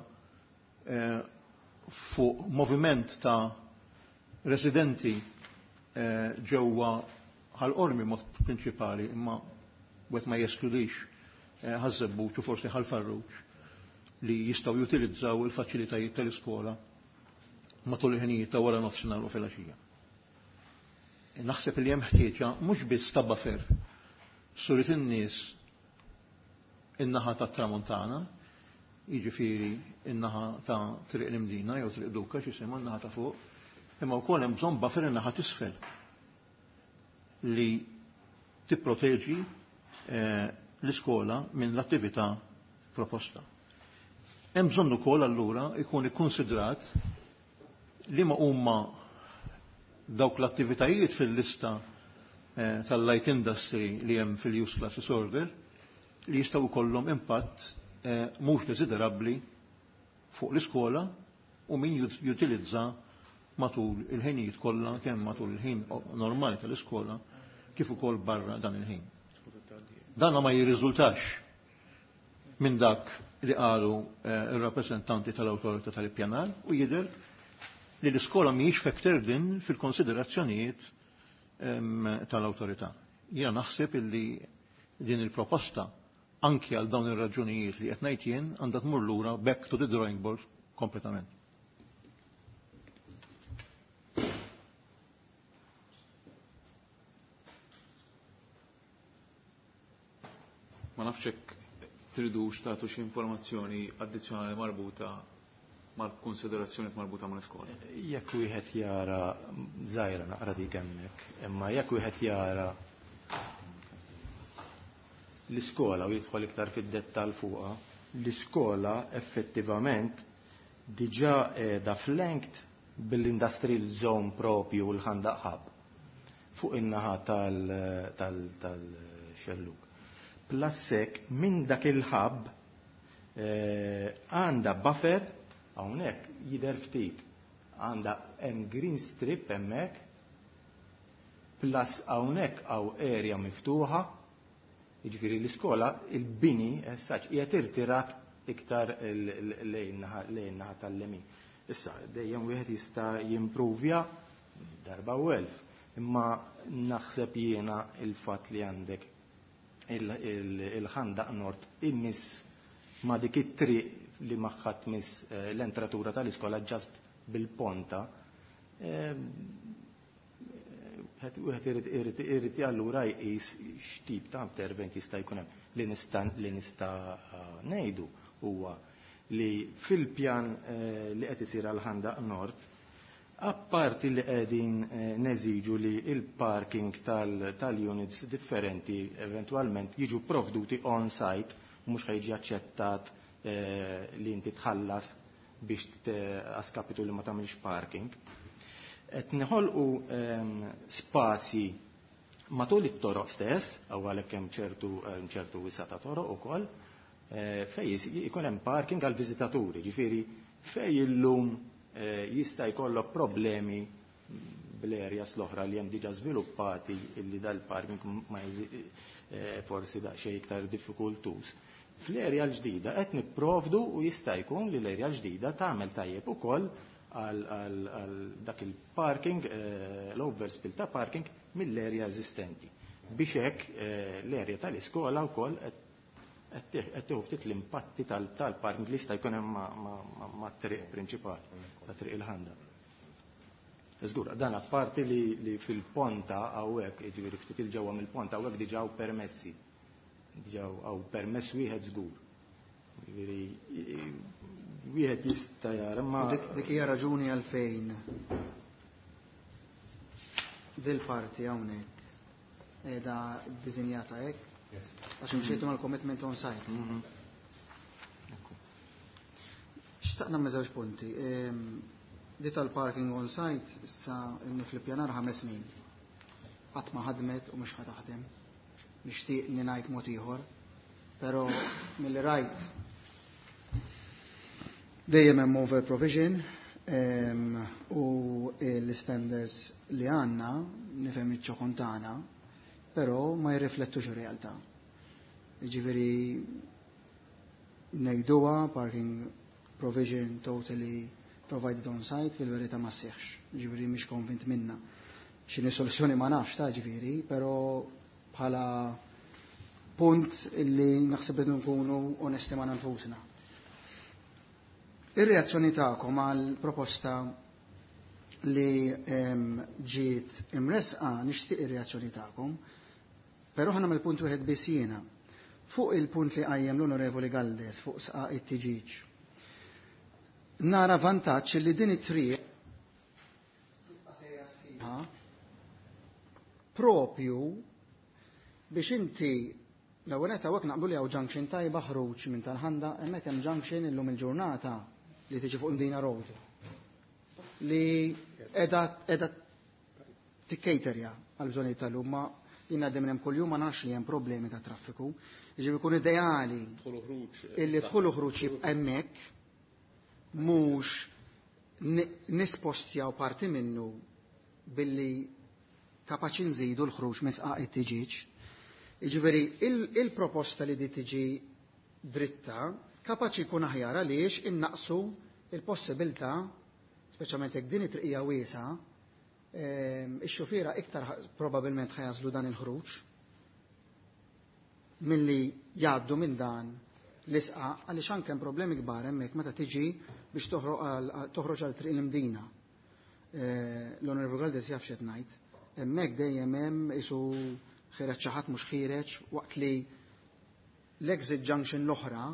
fuq moviment ta' residenti ġewwa Ħal Qormi mod prinċipali, imma wieħed ma jeskludix Ħaż-Żebbuġ u forsi Ħal Farruġ li jistgħu jutilizzaw il-faċilitajiet tal-iskola matul il-ħinijiet ta' wara nofsinhar u filgħaxija. Naħseb li hemm ħtieġa mhux biss ta' buffer surit in-nies in-naħa tat-Tramuntana, jiġifieri in-naħa ta' Triq l-Imdina jew Triq Duka x'isimha n-naħa ta' fuq, imma wkoll hemm bżonn buffer in-naħa t'isfel li tipproteġi l-iskola minn l-attività proposta. Hemm bżonn ukoll allura ikun ikkonsidrat li ma huma dawk l-attivitajiet fil-lista tal-light industry li hemm fil-use classes order li jistgħu jkollhom impatt mhux desiderabbli fuq l-iskola u min jutilizza matul il-ħinijiet kollha kemm matul il-ħin normali tal-iskola kif ukoll barra dan il-ħin. Dan ma jirriżultax minn dak li qalu ir-rappreżentanti tal-Awtorità tal-Ippjanar u jidher li l-iskola mhijiex factored in fil-konsiderazzjonijiet tal-awtorità. Jiena naħseb illi din il-proposta anki għal dawn ir-raġunijiet li qed ngħid jien għandha tmur lura back to the drawing board kompletament. Ma nafx hekk tridux tagħtu xi informazzjoni addizzjonali marbuta mal-konsiderazzjoni marbuta mal-iskola. Jekk wieħed jara żgħira naqra dik hemmhekk, imma jekk wieħed jara l-iskola u jidħol iktar fid-dettall fuqha, l-iskola effettivament diġà qiegħda flanked bil-industrial zone propju l-Ħandaq Hub fuq in-naħa tal-xelluk. Plassek minn dak il-hub għandha buffer hawnhekk jidher ftit, għandha hemm green strip hemmhekk, plus hawnhekk hawn area miftuħa, jiġifieri l-iskola il-bini saċ qiegħed irtirat iktar lejn naħa tal-lemin. Issa dejjem wieħed jista' jimpruvja darba u elf, imma naħseb jiena il-fatt li għandek il-Ħandaq Nord immiss ma dik it-triq li magħha tmiss l-entratura tal-iskola ġast bil-ponta. Wieħed irid allura jqis x'tip ta' intervent jista' jkun hemm. Li nista' ngħidu huwa li fil-pjan li qed isir għal Ħandaq Nord, apparti li qegħdin neżiġu li il-parking tal-units differenti eventwalment jiġu provduti on-site, mhux ħajġi aċċettat li inti tħallas biex għaskapitu li ma tagħmilx parking. Qed neħolqu spazji matul it-toroq stess, għaw għalhekk hemm ċertu wisa ta' toroq ukoll, fej ikun hemm parking għal viżitaturi, ġifieri fej illum jista' jkollok problemi bl-areas l-oħra li hemm diġà żviluppati illi dal-parking ma forsi daqsxejn iktar diffikultuż. Fl-area l-ġdida qed nipprovdu u jista' jkun li l-area l-ġdida tagħmel tajjeb ukoll għal dak il-parking, l-overspill ta' parking mill-area eżistenti. Biex hekk l-area tal-iskola wkoll qed tieħu ftit l-impatti tal-parking li jista' jkun hemm mat-triq prinċipali ta' triq il-Ħanda. Żgur, dan apparti li fil-ponta hawnhekk, jiġifieri ftit il-ġewwa mill-ponta hawnhekk diġà hawn permessi. Diġà hawn permess wieħed żgur. Jiġifieri wieħed jista' jara ma Dik hija raġuni għalfejn dil-parti hawnhekk qiegħda ddisinjata hekk. Għax imxejtu mal-commitment on site. Xtaqna me żewġ punti. Di tal-parking on site issa inni fl-ippjanar 5 snin. Qatt ma ħadmet u mhux ħa taħdem. Nixtieq li ngħid mod ieħor, però milli rajt dejjem hemm over provision u l-standards li għandna nifhem iċ-ċokon tagħna, però ma jirriflettux ir-realtà. Jiġifieri ngħiduha parking provision totally provided on site fil-verità ma sseħħx. Jiġifieri mhix konvint minna. X'inhi soluzzjoni ma nafx ta' ġifieri, però bħala punt illi naħseb li nkunu onesti ma' nfusna. Ir-reazzjoni tagħkom għal proposta li ġiet imresqa, nixtieq ir-reazzjoni tagħkom, però ħana mill-punt wieħed biss jiena. Fuq il-punt li qajjem l-Onorevoli Galdes fuq sqaq it-tiġiġ. Nara vantaġġ li din it-triq tibqa' sejra sħiħa propju biex inti l-ewwel qed hawnhekk naqblu li hawn junction tajba ħruġ minn tal-ħanda, hemmhekk hemm junction illum il-ġurnata li tiġi fuq Mdina Road li qiegħda tikkejterja għal bżonnijiet tal-lum, ma jien għaddej minn hemm kuljum ma nafx li hemm problemi ta' traffiku. Jiġifieri jkun ideali Dħul u ħruġ, illi dħul u ħruġ jibqa' hemmhekk, mhux nispostjaw parti minnu billi kapaċi nżidu l-ħruġ minn sqaq it-tiġiġ. Jiġifieri il-proposta li di tiġi dritta kapaċi jkun aħjar għaliex innaqsu il-possibilità, speċjalment jekk din it-triqija wiesa, ix-xufiera iktar probabbilment ħajażlu dan il-ħruġ milli jgħaddu minn dan l-isqaq, għaliex anke hemm problemi kbar hemmhekk meta tiġi biex toħroġ għal triq l-Imdina. L-Onorevoli Galdes jaf x'qed ngħid. Hemmhekk dejjem hemm isu ħireġ xi ħadd mhux ħireġ, waqt li l-exit junction l-oħra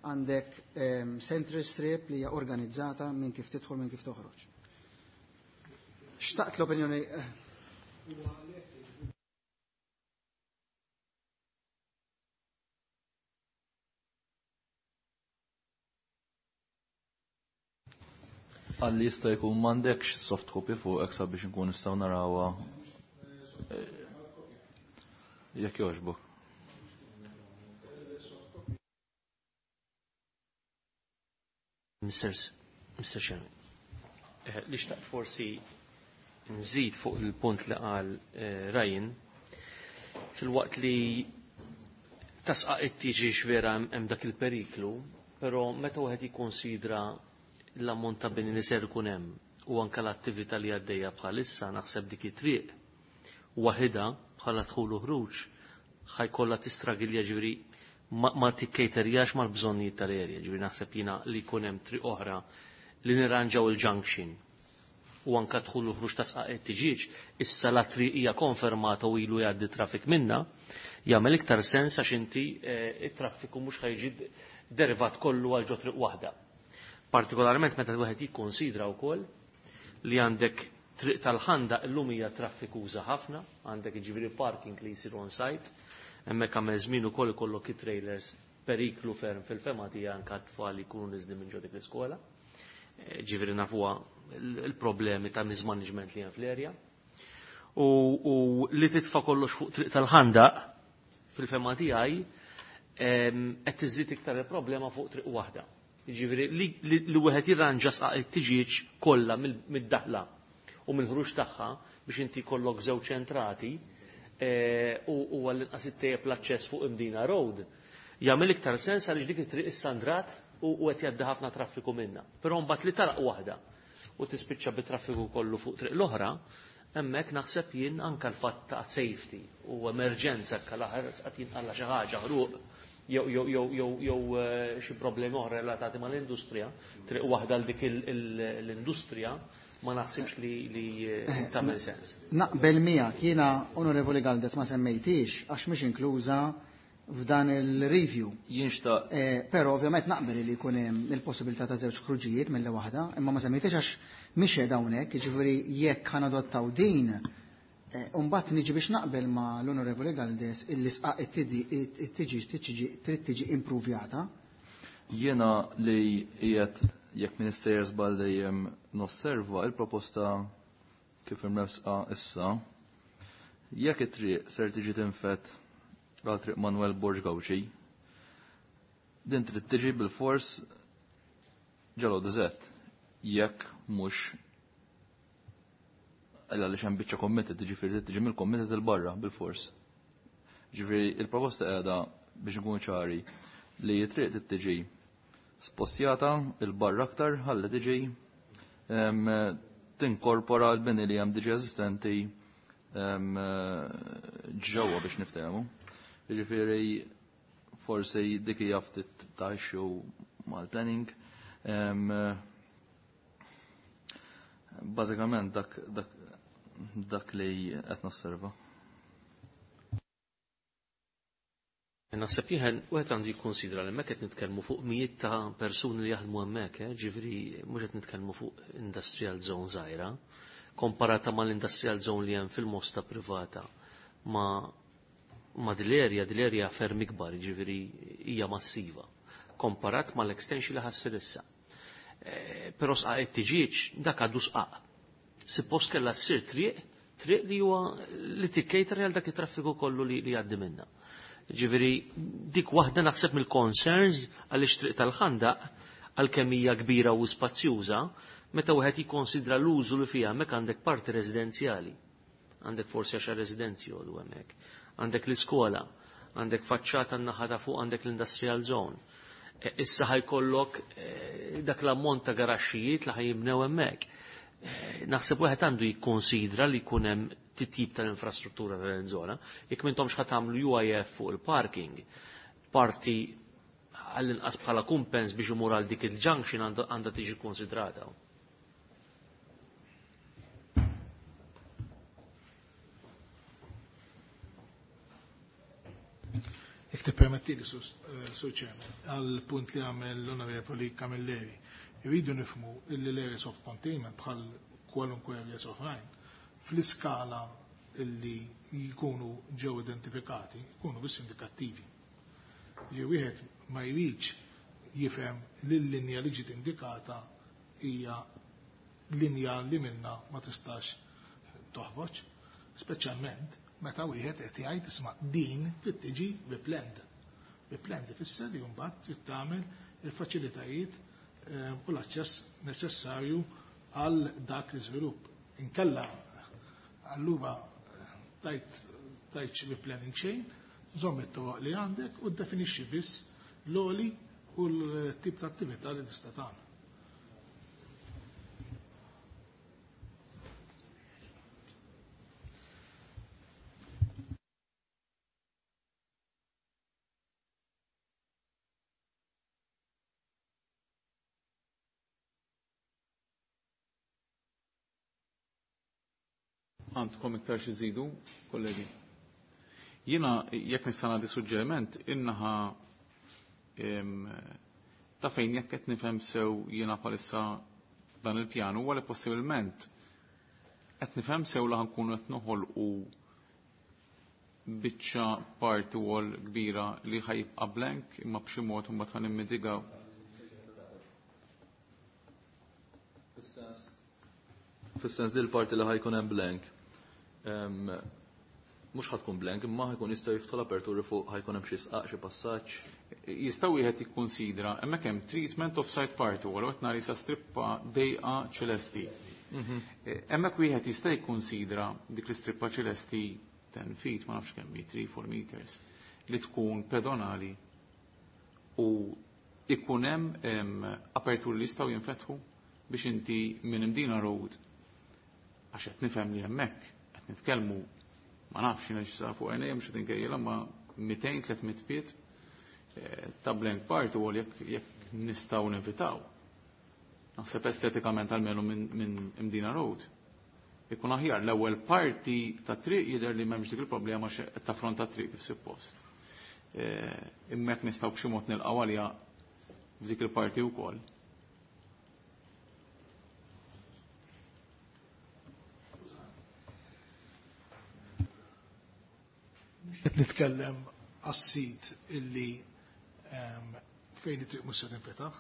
għandek central strip li hija organizzata minn kif tidħol minn kif toħroġ. Xtaqt l-opinjoni. Għalli jista' jkun m'għandekx soft copy fuq hekk sabiex nkun nistgħu narawha. Jekk jogħġbok. Mister Chairman, li xtaqt forsi nżid fuq il-punt li qal Ryan, fil-waqt li tasqaq it-tiġi vera hemm dak il-periklu, però meta wieħed jikkonsidra l-ammont ta' bini li ser ikun hemm u anke l-attività li għaddejja bħalissa, naħseb dik it-triq waħedha bħala dħul u ħruġ ħajkollha tistragilja, ġifieri ma tikkejterjax mal-bżonnijiet tal-erja, ġifieri naħseb jiena li jkun hemm triq oħra li nirranġaw il-junction. u anka dħul u ħruġ ta' sqaq it-tiġieġ, issa la triq hija konfermata u ilu jgħaddi traffic minna, jagħmel iktar sens għax inti it-traffiku mhux ħajġi derivat kollu għal ġo triq waħda. Partikolarment meta wieħed jikkonsidra wkoll li għandek triq tal-ħanda illum hija traffikuża ħafna, għandek jiġifieri parking li jsir on site, hemmhekk għamel żmien ukoll ikollok it-trailers periklu ferm fil-fema tiegħi anke t-tfal jkunu niżli minn ġo dik l-iskola. Ġifieri nafuha il-problemi ta' mismanagement li hemm fl-erja. U li titfa' kollox fuq triq tal-ħandaq fil-fema tiegħi qed tiżid iktar il-problema fuq triq waħda. Jiġifieri li wieħed jirranġa sqaq it-tiġieġ kollha mid-daħla u mill-ħruġ tagħha biex inti jkollok żewġ entrati u għall-inqas ittejjeb l-aċċess fuq Imdina Road. Jagħmel iktar sens għaliex dik it-triq issa ndrat u qed jgħaddi ħafna traffiku minnha. Però mbagħad li taraq waħda u tispiċċa bit-traffiku kollu fuq triq l-oħra, hemmhekk naħseb jien anke l-fatt ta' safety u emerġenza anke l-aħħar qed jinqalla xi ħaġa ħruq jew xi problemi oħra relatati mal-industrija, triq waħda għal dik l-industrija ma naħsibx li tagħmel sens. Naqbel miegħek jiena Onorevoli Galdes ma semmejtix għax mhix inkluża f'dan il-review. Jien xtaq. Però ovvjament naqbel li jkun hemm il-possibilità ta' żewġ ħruġijiet mill waħda, imma ma semmejtix għax mhix qiegħda hawnhekk, jiġifieri jekk ħanadottaw din, mbagħad niġi biex naqbel ma' l-Onorevoli Galdes illi sqaq it-tiġi trid tiġi impruvjata. Jiena li qiegħed jekk minister żball dejjem nosserva il-proposta kif imresqa issa, jekk it-triq ser tiġi tinfet għal triq Manuel Borg Gauci, din trid tiġi bil-fors ġalo dizet, jekk mhux għaliex hemm biċċa committed, jiġifieri trid tiġi mill-committed il-barra bil-fors. Ġifieri il-proposta qiegħda biex nkunu ċari li t-triq trid tiġi spostjata il-barra aktar ħalli tiġi tinkorpora l-bini li hemm diġi eżistenti ġewwa biex niftehmu. Jiġifieri forsi dik hija ftit ta' issue mal-planning. Bażikament dak li qed nosserva. Naħseb jien wieħed għandu jikkonsidra li hemmhekk qed nitkellmu fuq mijiet ta' persuni li jaħdmu hemmhekk, ġifieri mhux qed nitkellmu fuq industrial zone żgħira, komparata mal-industrial zone li hemm fil-Mosta privata ma dil-area, dil-area ferm ikbar, ġifieri hija massiva, komparat mal-extension li ħassir issa. Però sqaq it-tiġieġ dak għadu sqaq. Suppost kellha ssir triq li huwa li tikkejter għal dak it-traffiku kollu li jgħaddi minna. Ġifieri dik waħda naħseb mill-concerns għaliex triq tal-ħandaq għalkemm hija kbira u spazjuża, meta wieħed jikkonsidra l-użu li fiha hemmhekk għandek parti residenzjali. Għandek forsi għaxar residenti jgħodu hemmhekk. Għandek l-iskola, għandek faċċata n-naħa ta' fuq, għandek l-industrial zone. Issa ħajkollok dak l-ammont ta' garaxxijiet li ħajjibnew hemmhekk. Naħseb wieħed għandu jikkonsidra li jkun hemm titjib tal-infrastruttura tal-żona. Jekk m'intomx ħa tagħmlu UIF fuq il-parking, parti għall-inqas bħala kumpens biex imur għal dik il-junction għandha tiġi konsidrata. Jekk tippermettili, Sur Chairman, għal punt li għamel l-Onorevoli Camilleri, irridu nifhmu illi l-areas of containment bħal kwalunkwe areas oħrajn fl-iskala illi jkunu ġew identifikati, jkunu biss indikattivi. Ġi wieħed ma jridx jifhem li l-linja li ġiet indikata hija linja li minna ma tistax toħroġ, speċjalment meta wieħed qed jgħid isma' din trid tiġi bi-planned. Bi-planned ifisser li mbagħad trid tagħmel il-faċilitajiet u l-aċċess neċessarju għal dak l-iżvilupp. Inkella allura tajt bi planning xejn, żomm it-toroq li għandek u ddefinixxi biss l-oli u l-tip ta' attività li tista' tagħmel. Għandkom iktar xi żidu, kollegi? Jiena jekk nista' nagħti suġġeriment innaħa ta' fejn jekk qed nifhem sew jiena bħalissa dan il-pjan huwa li possibilment qed nifhem sew li ħankunu qed noħolqu biċċa party wall kbira li ħajibqa' blank imma b'xi mod imbagħad ħa nimmitigaw. Fis-sens li l-parti li ħajkun hemm blank mhux ħatkun blank imma ħajkun jista' jiftħu l-aperturi fuq ħajkun hemm xi sqaq xi passaġġ. Jista' wieħed jikkunsidra hemmhekk hemm treatment of side party wall qed nara sa strippa dejqa ċelesti. Hemmhekk wieħed jista' jikkunsidra dik l-istrippa ċelesti 10 feet, ma nafx kemm 3 4 meters, li tkun pedonali u ikun hemm aperturi li jistgħu jinfetħu biex inti minn Imdina Road għax qed nifhem li hemmhekk qed nitkellmu ma nafx jiena x'sa fuq għajnejja mhux qed inkejjel ma 200-300 piet ta' blank part u jekk nistgħu nevitaw. Naħseb estetikament almenu minn Imdina Road. Ikun aħjar l-ewwel parti ta' triq jidher li m'hemmx dik il-problema qed taffronta triq kif suppost. Imma jekk nistgħu b'xi mod nilqgħu għaliha f'dik il-parti wkoll. Qed nitkellem għas-sit illi fejn it-triq mhux se tinfetaħ,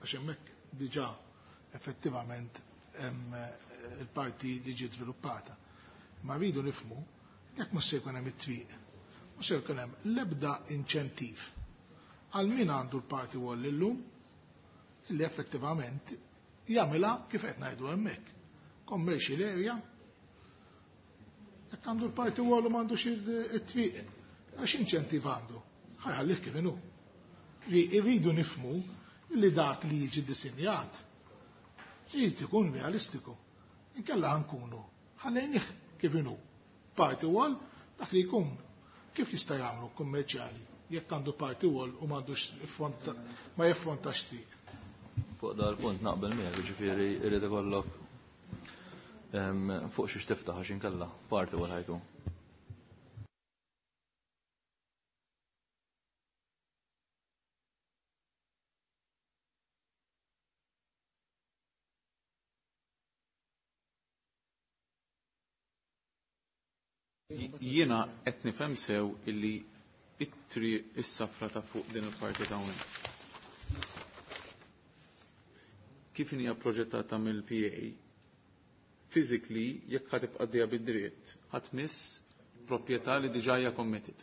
għax hemmhekk diġà effettivament hemm il-parti li ġiet żviluppata. Ma rridu nifhmu jekk mhux se jkun hemm it-triq, mhux se jkun hemm l-ebda inċentiv għal min għandu l-party wall illum illi effettivament jagħmilha kif qed ngħidu hemmhekk. Commercial area, jekk għandu l-party wall u m'għandux it-triq, għax inċentiv għandu, ħajħallih kif inhu. Irridu nifhmu li dak li jiġi disinjat irid ikun realistiku. Inkella ħankunu ħallejnih kif inhu. Party wall dak li jkun kif jista' jagħmlu kummerċjali jekk għandu party wall u m'għandux ma jiffrontax triq. Fuq dal-punt naqbel miegħek, jiġifieri irid ikollok fuq xiex tiftaħ għax inkella party wall ħajkun. Jiena qed nifhem sew illi it-triq is-safra ta' fuq din il-parti ta' hawnhekk. Kif hija proġettata mill-PA, physically jekk ħa tibqa' dejja bid-dritt, ħadd miss proprjetà li diġà hija committed.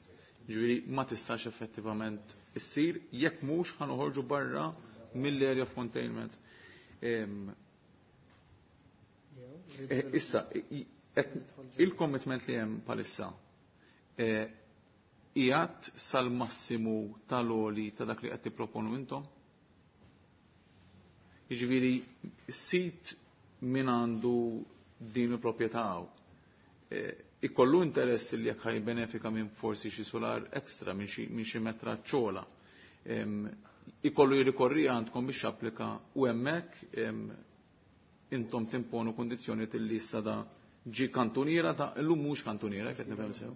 Ġifieri ma tistax effettivament issir jekk mhux ħa noħorġu barra mill-area of containment. Issa, il-commitment li hemm bħalissa qiegħed sal-massimu tal-oli ta' dak li qed tipproponu intom? Jiġifieri sit min għandu din il-proprjetà hawn. Ikollu interess li jekk ħaj benefika minn forsi xi solar extra minn xi metra ċola. Ikollu jirrikorri għandkom biex applika u hemmhekk intom timponu kondizzjoni li issa da ġi kantuniera ta' illum mhux kantuniera qed nifhem sew.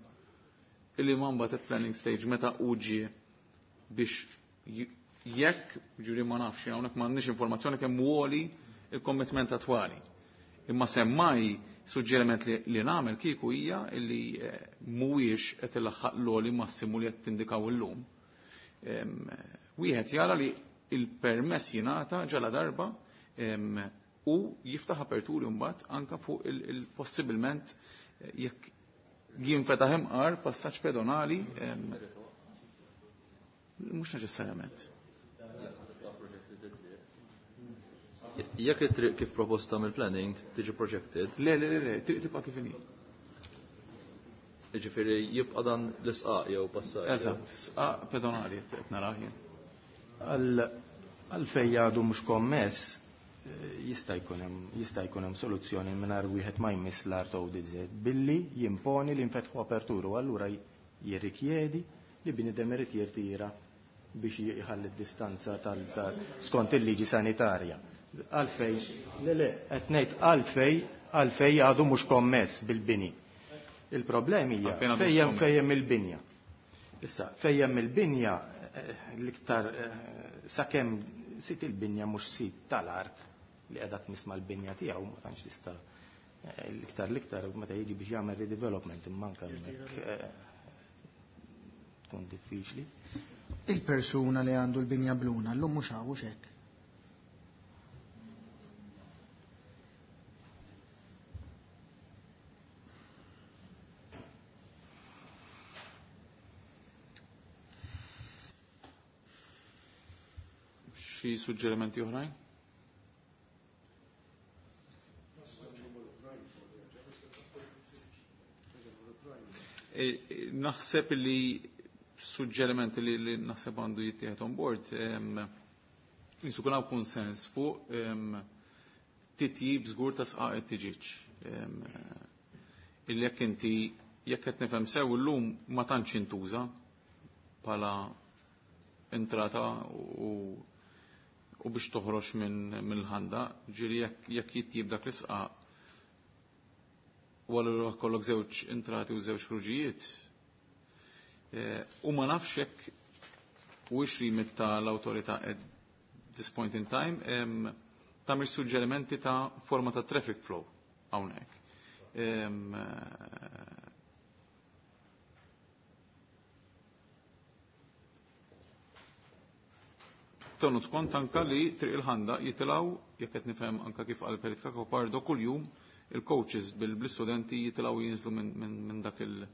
Illi ma mbagħad at planning stage meta u ġie biex jekk, ġuri ma nafx, hawnhekk m'għandniex informazzjoni kemm għoli il-commitment attwali. Imma semmai suġġeriment li nagħmel kieku hija illi mhuwiex qed ilaħħaq l-għoli massimu li qed tindikaw illum. Wieħed jara li il-permess jingħata ġala darba u jiftaħ aperturi mbagħad anka fuq il-possibilment jekk jinfetaħ imqar passaġġ pedonali mhux neċessarjament. Jekk it-triq kif proposta mill-planning tiġi projected? Le, le, le, le, triq tibqa' kif inhi. Jiġifieri jibqa' dan l-isqaq jew passaġġ. Eżatt, sqaq pedonali qed narah jien. Għalfejn għadu mhux kommess, jista' jkun hemm soluzzjoni mingħajr wieħed ma jmiss l-art ODZ billi jimponi li nfetħu aperturu, allura jirrikjedi li bniedem irid jirtira biex jħalli d-distanza tal skont il-liġi sanitarja. Għalfej, le le, qed ngħid Għalfejn għadu mhux kommess bil-bini. Il-problemi hija fejn fejn il-binja. Issa, fejn il-binja l-iktar sakemm sit il-binja mhux sit tal-art li qiegħda tmiss mal-binja tiegħu ma tantx tista' l-iktar meta jiġi biex jagħmel redevelopment imma anke hemmhekk tkun diffiċli. Il-persuna li għandu l-binja bluna llum mhux hawn hekk. Xi suġġerimenti oħrajn? Naħseb li suġġerimenti li naħseb għandu jittieħed on board jisu kun hawn konsens fuq titjib żgur ta' sqaq it-tiġiġ. Illi jekk inti jekk qed nifhem sew illum ma tantx intuża bħala entrata u biex toħroġ mill-ħanda, ġieli jekk jittjib dak l-isqaq u allura kollok żewġ entrati u żewġ ħruġijiet. U ma nafx hekk u rimit ta' l-awtorità at this point in time tagħmel suġġerimenti ta' forma ta' traffic flow hawnhekk. Tenut kont anka li triq il-ħanda jitilgħu jekk qed nifhem anka kif qal Perit Cacopardo kuljum il-coaches bil-istudenti jitilgħu jinżlu minn dak il-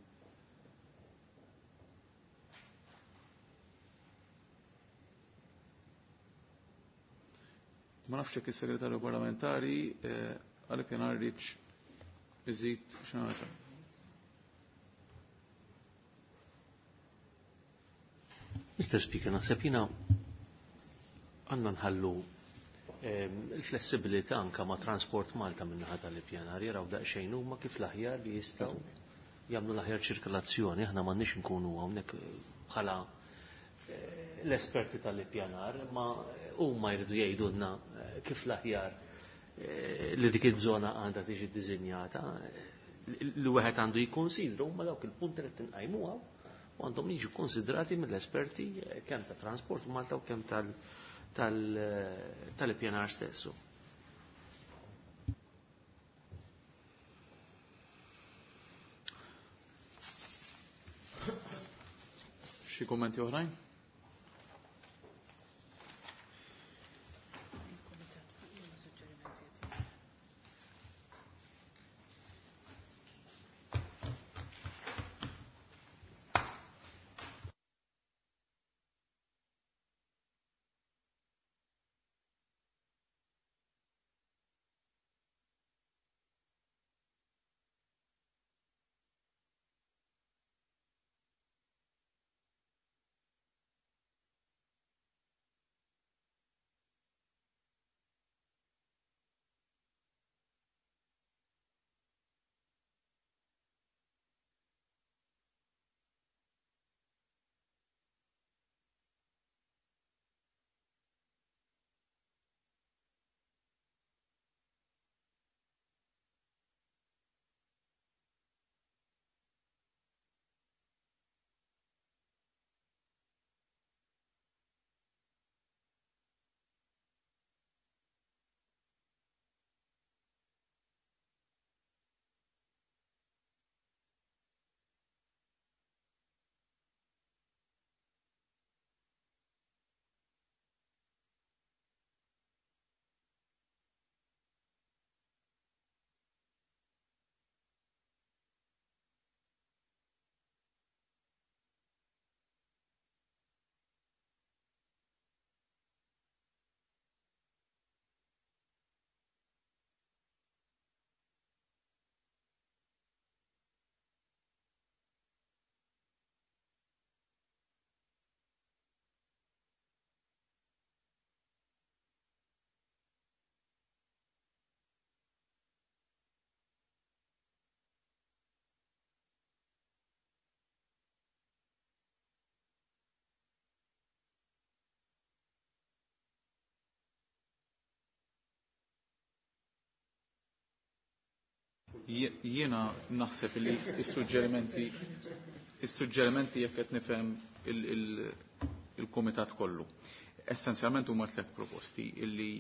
Ma nafx jekk is-segretarju parlamentari għalhekk jien rridx iżid xi ħaġa. Mr. Speaker, naħseb jiena għandna nħallu il-flessibilità anka ma' Transport Malta min-naħa tal-ippjanar jaraw daqsxejn huma kif l-aħjar li jistgħu jagħmlu l-aħjar ċirkolazzjoni, aħna m'għandniex nkunu hawnhekk bħala l-esperti tal-ippjanar, ma huma jridu jgħidulna kif l-aħjar li dik iż-żona għandha tiġi ddisinjata, li wieħed għandu jikkonsidra huma dawk il-punti li tinqajmuha u għandhom jiġu konsidrati mill-esperti kemm ta' Transport Malta u kemm tal-ippjanar stessu. Xi kummenti oħrajn? Jiena naħseb li s-suġġerimenti is-suġġerimenti jekk qed nifhem il-kumitat kollu. Essenzjalment huma tliet proposti illi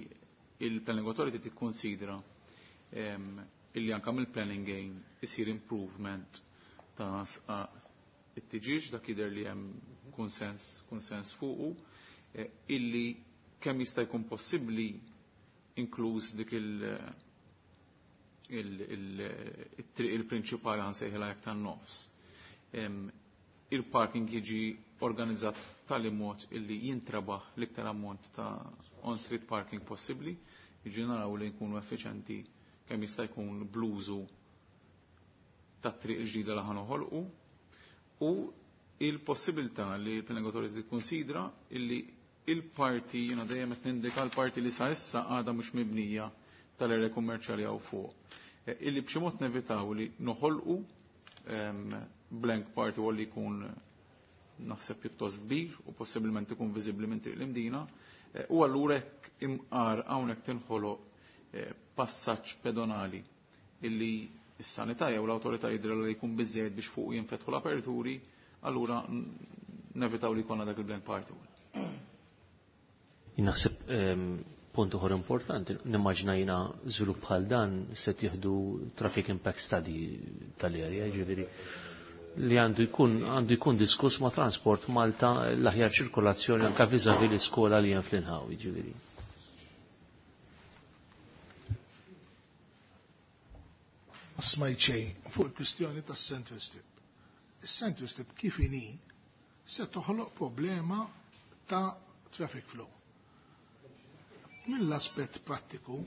il-Planning Authority tikkonsidra illi anke mill-planning gain isir improvement ta' sqaq it-tiġiġ, dak jidher li hemm konsens konsens fuqu, illi kemm jista' jkun possibbli inkluż dik il-triq il-prinċipali ħansejħilha jekk tan-nofs. Il-parking jiġi organizzat tali mod illi jintrabaħ l-iktar ammont ta' on-street parking possibbli, jiġi naraw li nkunu effiċenti kemm jista' jkun bluzu tat-triq il-ġdida li ħanoħolqu u il-possibilità li l-Planning Authority tikkunsidra illi il-parti, jiena dejjem qed nindika l-parti li sa issa għadha mhux mibnija tal-area kummerċjali hawn fuq. Illi b'xi mod nevitaw li noħolqu blank party wall li jkun naħseb pjuttost kbir u possibilment ikun viżibbli minn triq l-Imdina, u allura hekk imqar hawnhekk tinħoloq passaġġ pedonali illi s-sanità jew l-awtorità jidhru li jkun biżejjed biex fuq jinfetħu l-aperturi, allura nevitaw li jkollna dak il-blank party wall. Naħseb punt uħor importanti, nimmaġna jiena żvilupp bħal dan se tieħdu traffic impact study tal-area, ġifieri li għandu jkun diskuss ma' Transport Malta l-aħjar ċirkolazzjoni anke vis-à-vis l-iskola li hemm fl-inħawi, ġifieri. Ma smajt xejn fuq il-kwistjoni tas-Central Strip. Is-Central Strip kif inhi se toħloq problema ta' traffic flow. Mill-aspett prattiku,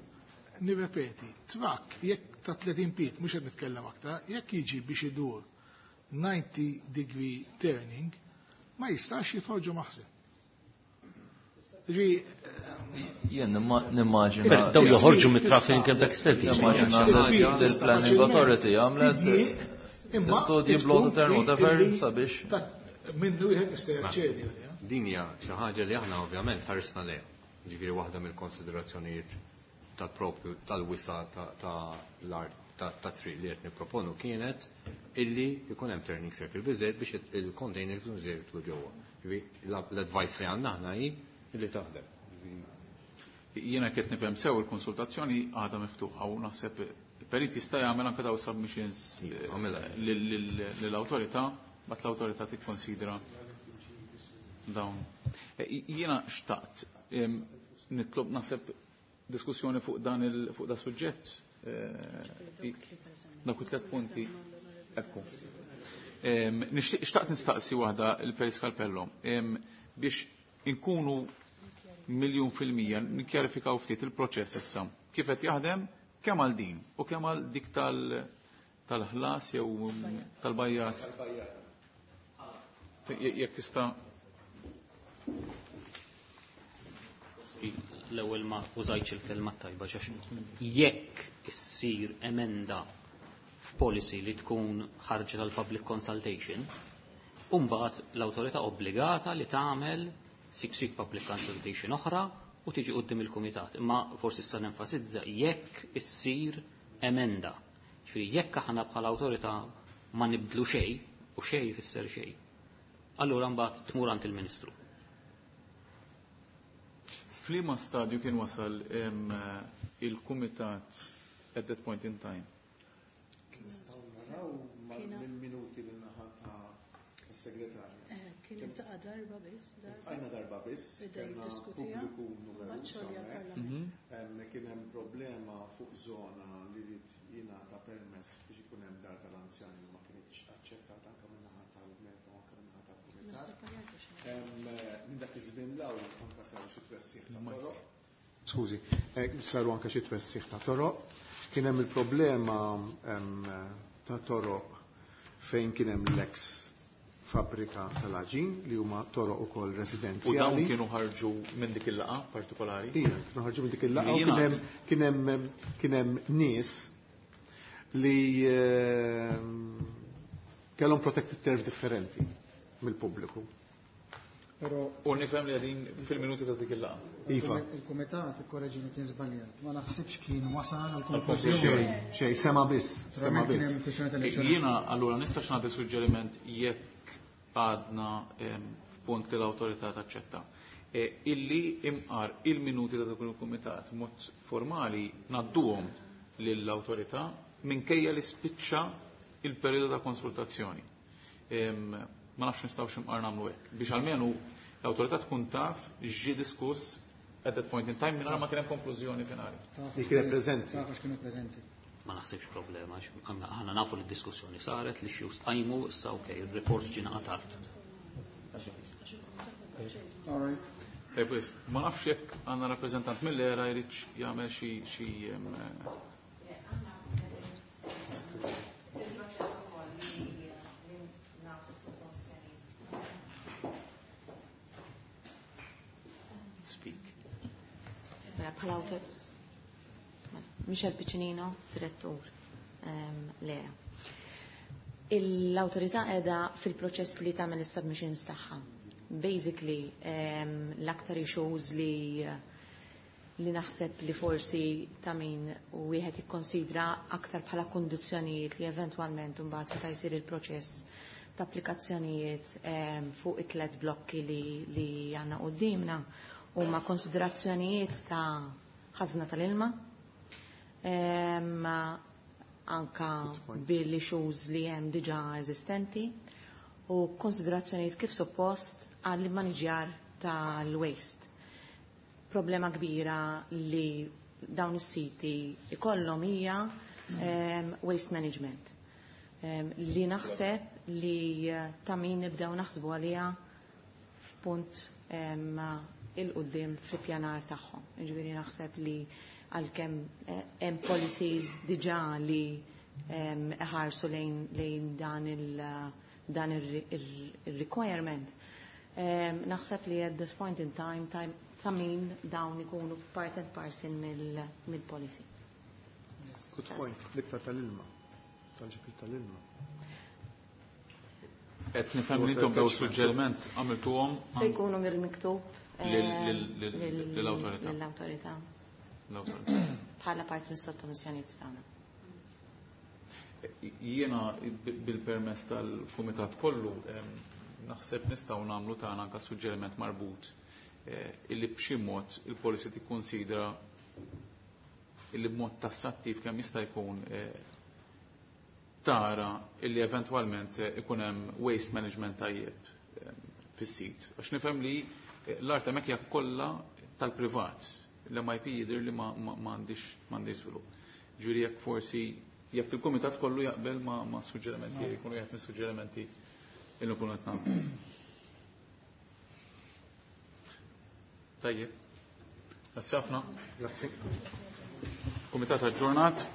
nirrepeti, trakk jekk ta' 30 pied, mhux qed nitkellem aktar, jekk jiġi biex idur 90 degree turning, ma jistax jidħol ġo maħżen. Jien nimmaġina. Daw joħorġu mit-traffic impact study. Nimmaġina l-Planning Authority għamlet studji blow the turn whatever sabiex. Minnu wieħed jista' jaċċedi għaliha. Din hija xi ħaġa li aħna ovvjament ħarisna lejha. Ġifieri waħda mill-konsiderazzjonijiet tal-propju tal-wisa ta' l-art ta' triq li qed nipproponu kienet illi jkun hemm turning circle biżejjed biex il-container jkun jidħlu ġewwa. Ġifieri l-advice li għandna aħna hi illi taħdem. Jiena qed nifhem sew il-konsultazzjoni għadha miftuħa u naħseb il-perit jista' jagħmel anke daw submissions lill-awtorità, bat l-awtorità tikkonsidra dawn. Jiena xtaqt nitlob naħseb diskussjoni fuq dan il fuq da suġġett dawk it-tliet punti. Ekku. Nixtieq xtaqt nistaqsi waħda il-Perit Scalpello biex inkunu 1,000,000% nikkjarifikaw ftit il-proċess issa. Kif qed jaħdem kemm għal din u kemm għal dik tal-ħlas jew tal-bajjat. Jekk tista' L-ewwel ma użajtx il-kelma tajba għax jekk issir emenda f'policy li tkun ħarġet għal public consultation, mbagħad l-awtorità obbligata li tagħmel 6 week public consultation oħra u tiġi quddiem il-kumitat. Imma forsi issa nenfasizza jekk issir emenda. Ġifieri jekk aħna bħala awtorità ma nibdlu xejn u xejn jfisser xejn. Allura mbagħad tmur għand il-Ministru. F'liema stadju kien wasal il-kumitat at that point in time? Nistgħu naraw mill-minuti min-naħa ta' segretarja. Kien iltaqa' darba biss. Għajna darba biss, kellna pubbliku numeruż hawnhekk. Kien hemm problema fuq żona li rid jingħata permess biex ikun hemm dar tal-anzjani li ma kinitx aċċettata anke min-naħa tal-MEPA u anke min-naħa tal-kumitat. Minn dak iż-żmien l anke saru xi twessiħ ta' toroq. Skużi, saru anke xi twessiħ ta' toroq. Kien hemm il-problema ta' toroq fejn kien hemm l-ex fabbrika tal-aġin li huma toroq ukoll residenzjali. U dawn kienu ħarġu minn dik il-laqgħa partikolari? Ija, kienu ħarġu minn dik il-laqgħa u kien hemm nies li kellhom protected turf differenti mill-pubbliku. Però U nifhem li qegħdin fil-minuti ta' dik il-laqgħa. Iva. Il-kumitat, ikkoreġini kien żbaljat, ma naħsibx kien wasal għal konklużjoni. Xejn, sema biss, sema Naturalment kien biss. hemm kwistjoni tal-elezzjoni. Jiena allura nistax nagħti suġġeriment jekk għadna f'punt li l-awtorità taċċetta. Illi imqar il-minuti ta' dak il-kumitat mod formali ngħadduhom lill-awtorità minkejja li spiċċa il-perjodu ta' konsultazzjoni. Ma nafx nistgħux imqar nagħmlu hekk biex almenu l-awtorità tkun taf x'ġie diskuss at that point in time mingħajr ma kien hemm konklużjoni finali. Li kienet preżenti. Taf għax kienu preżenti. Ma naħsibx problema, għax aħna nafu li d-diskussjoni saret, li xi tqajmu, issa okej, il-report ġie tard. All right. Ej, please, ma nafx jekk għandna rappreżentant mill-ERA jridx jagħmel xi Speak. Mela, bħala awtor. Mela, Michel Piccinino, direttur l-ERA. L-awtorità qiegħda fil-proċess li tagħmel is-submissions tagħha. Basically, l-aktar issues li naħseb li forsi ta' min u wieħed jikkonsidra aktar bħala kundizzjonijiet li eventwalment imbagħad meta jsir il-proċess ta' applikazzjonijiet fuq it-tlet blokki li għandna quddiemna huma konsiderazzjonijiet ta' ħażna tal-ilma, anka bil-issues li hemm diġà eżistenti u konsiderazzjonijiet kif suppost għall-immaniġjar tal-waste. Problema kbira li dawn is-siti ikollhom hija waste management. Li naħseb li ta' min nibdew naħsbu għaliha f'punt il-qudiem fl-ippjanar tagħhom. Jiġifieri naħseb li għalkemm hemm policies diġà li iħarsu lejn dan il-requirement. Naħseb li at this point in time ta' min dawn ikunu part and parcel mill-policy. Good point, l-iktar tal-ilma, tal-ġibir tal-ilma. Qed nifhem li intom daw suġġeriment għamiltuhom Se jkunu mill-miktub lill-awtorità. Lill-awtorità. L-awtorità. Bħala parti mis-sottomissjonijiet tagħna. Jiena bil-permess tal-kumitat kollu naħseb nistgħu nagħmlu tagħna anke suġġeriment marbut illi b'xi mod il-policy tikkonsidra illi b'mod tassattiv kemm jista' jkun tara illi eventwalment ikun hemm waste management tajjeb fis-sit. Għax nifhem li l-art hemmhekk hija kollha tal-privat. L-MIP jidher li m'għandix żvilupp. Ġifieri jekk forsi jekk il-kumitat kollu jaqbel ma' suġġerimenti, jkunu jgħid mis-suġġerimenti illi nkunu qed nagħmlu. Tajjeb. Grazzi ħafna. Grazzi. Kumitat aġġornat.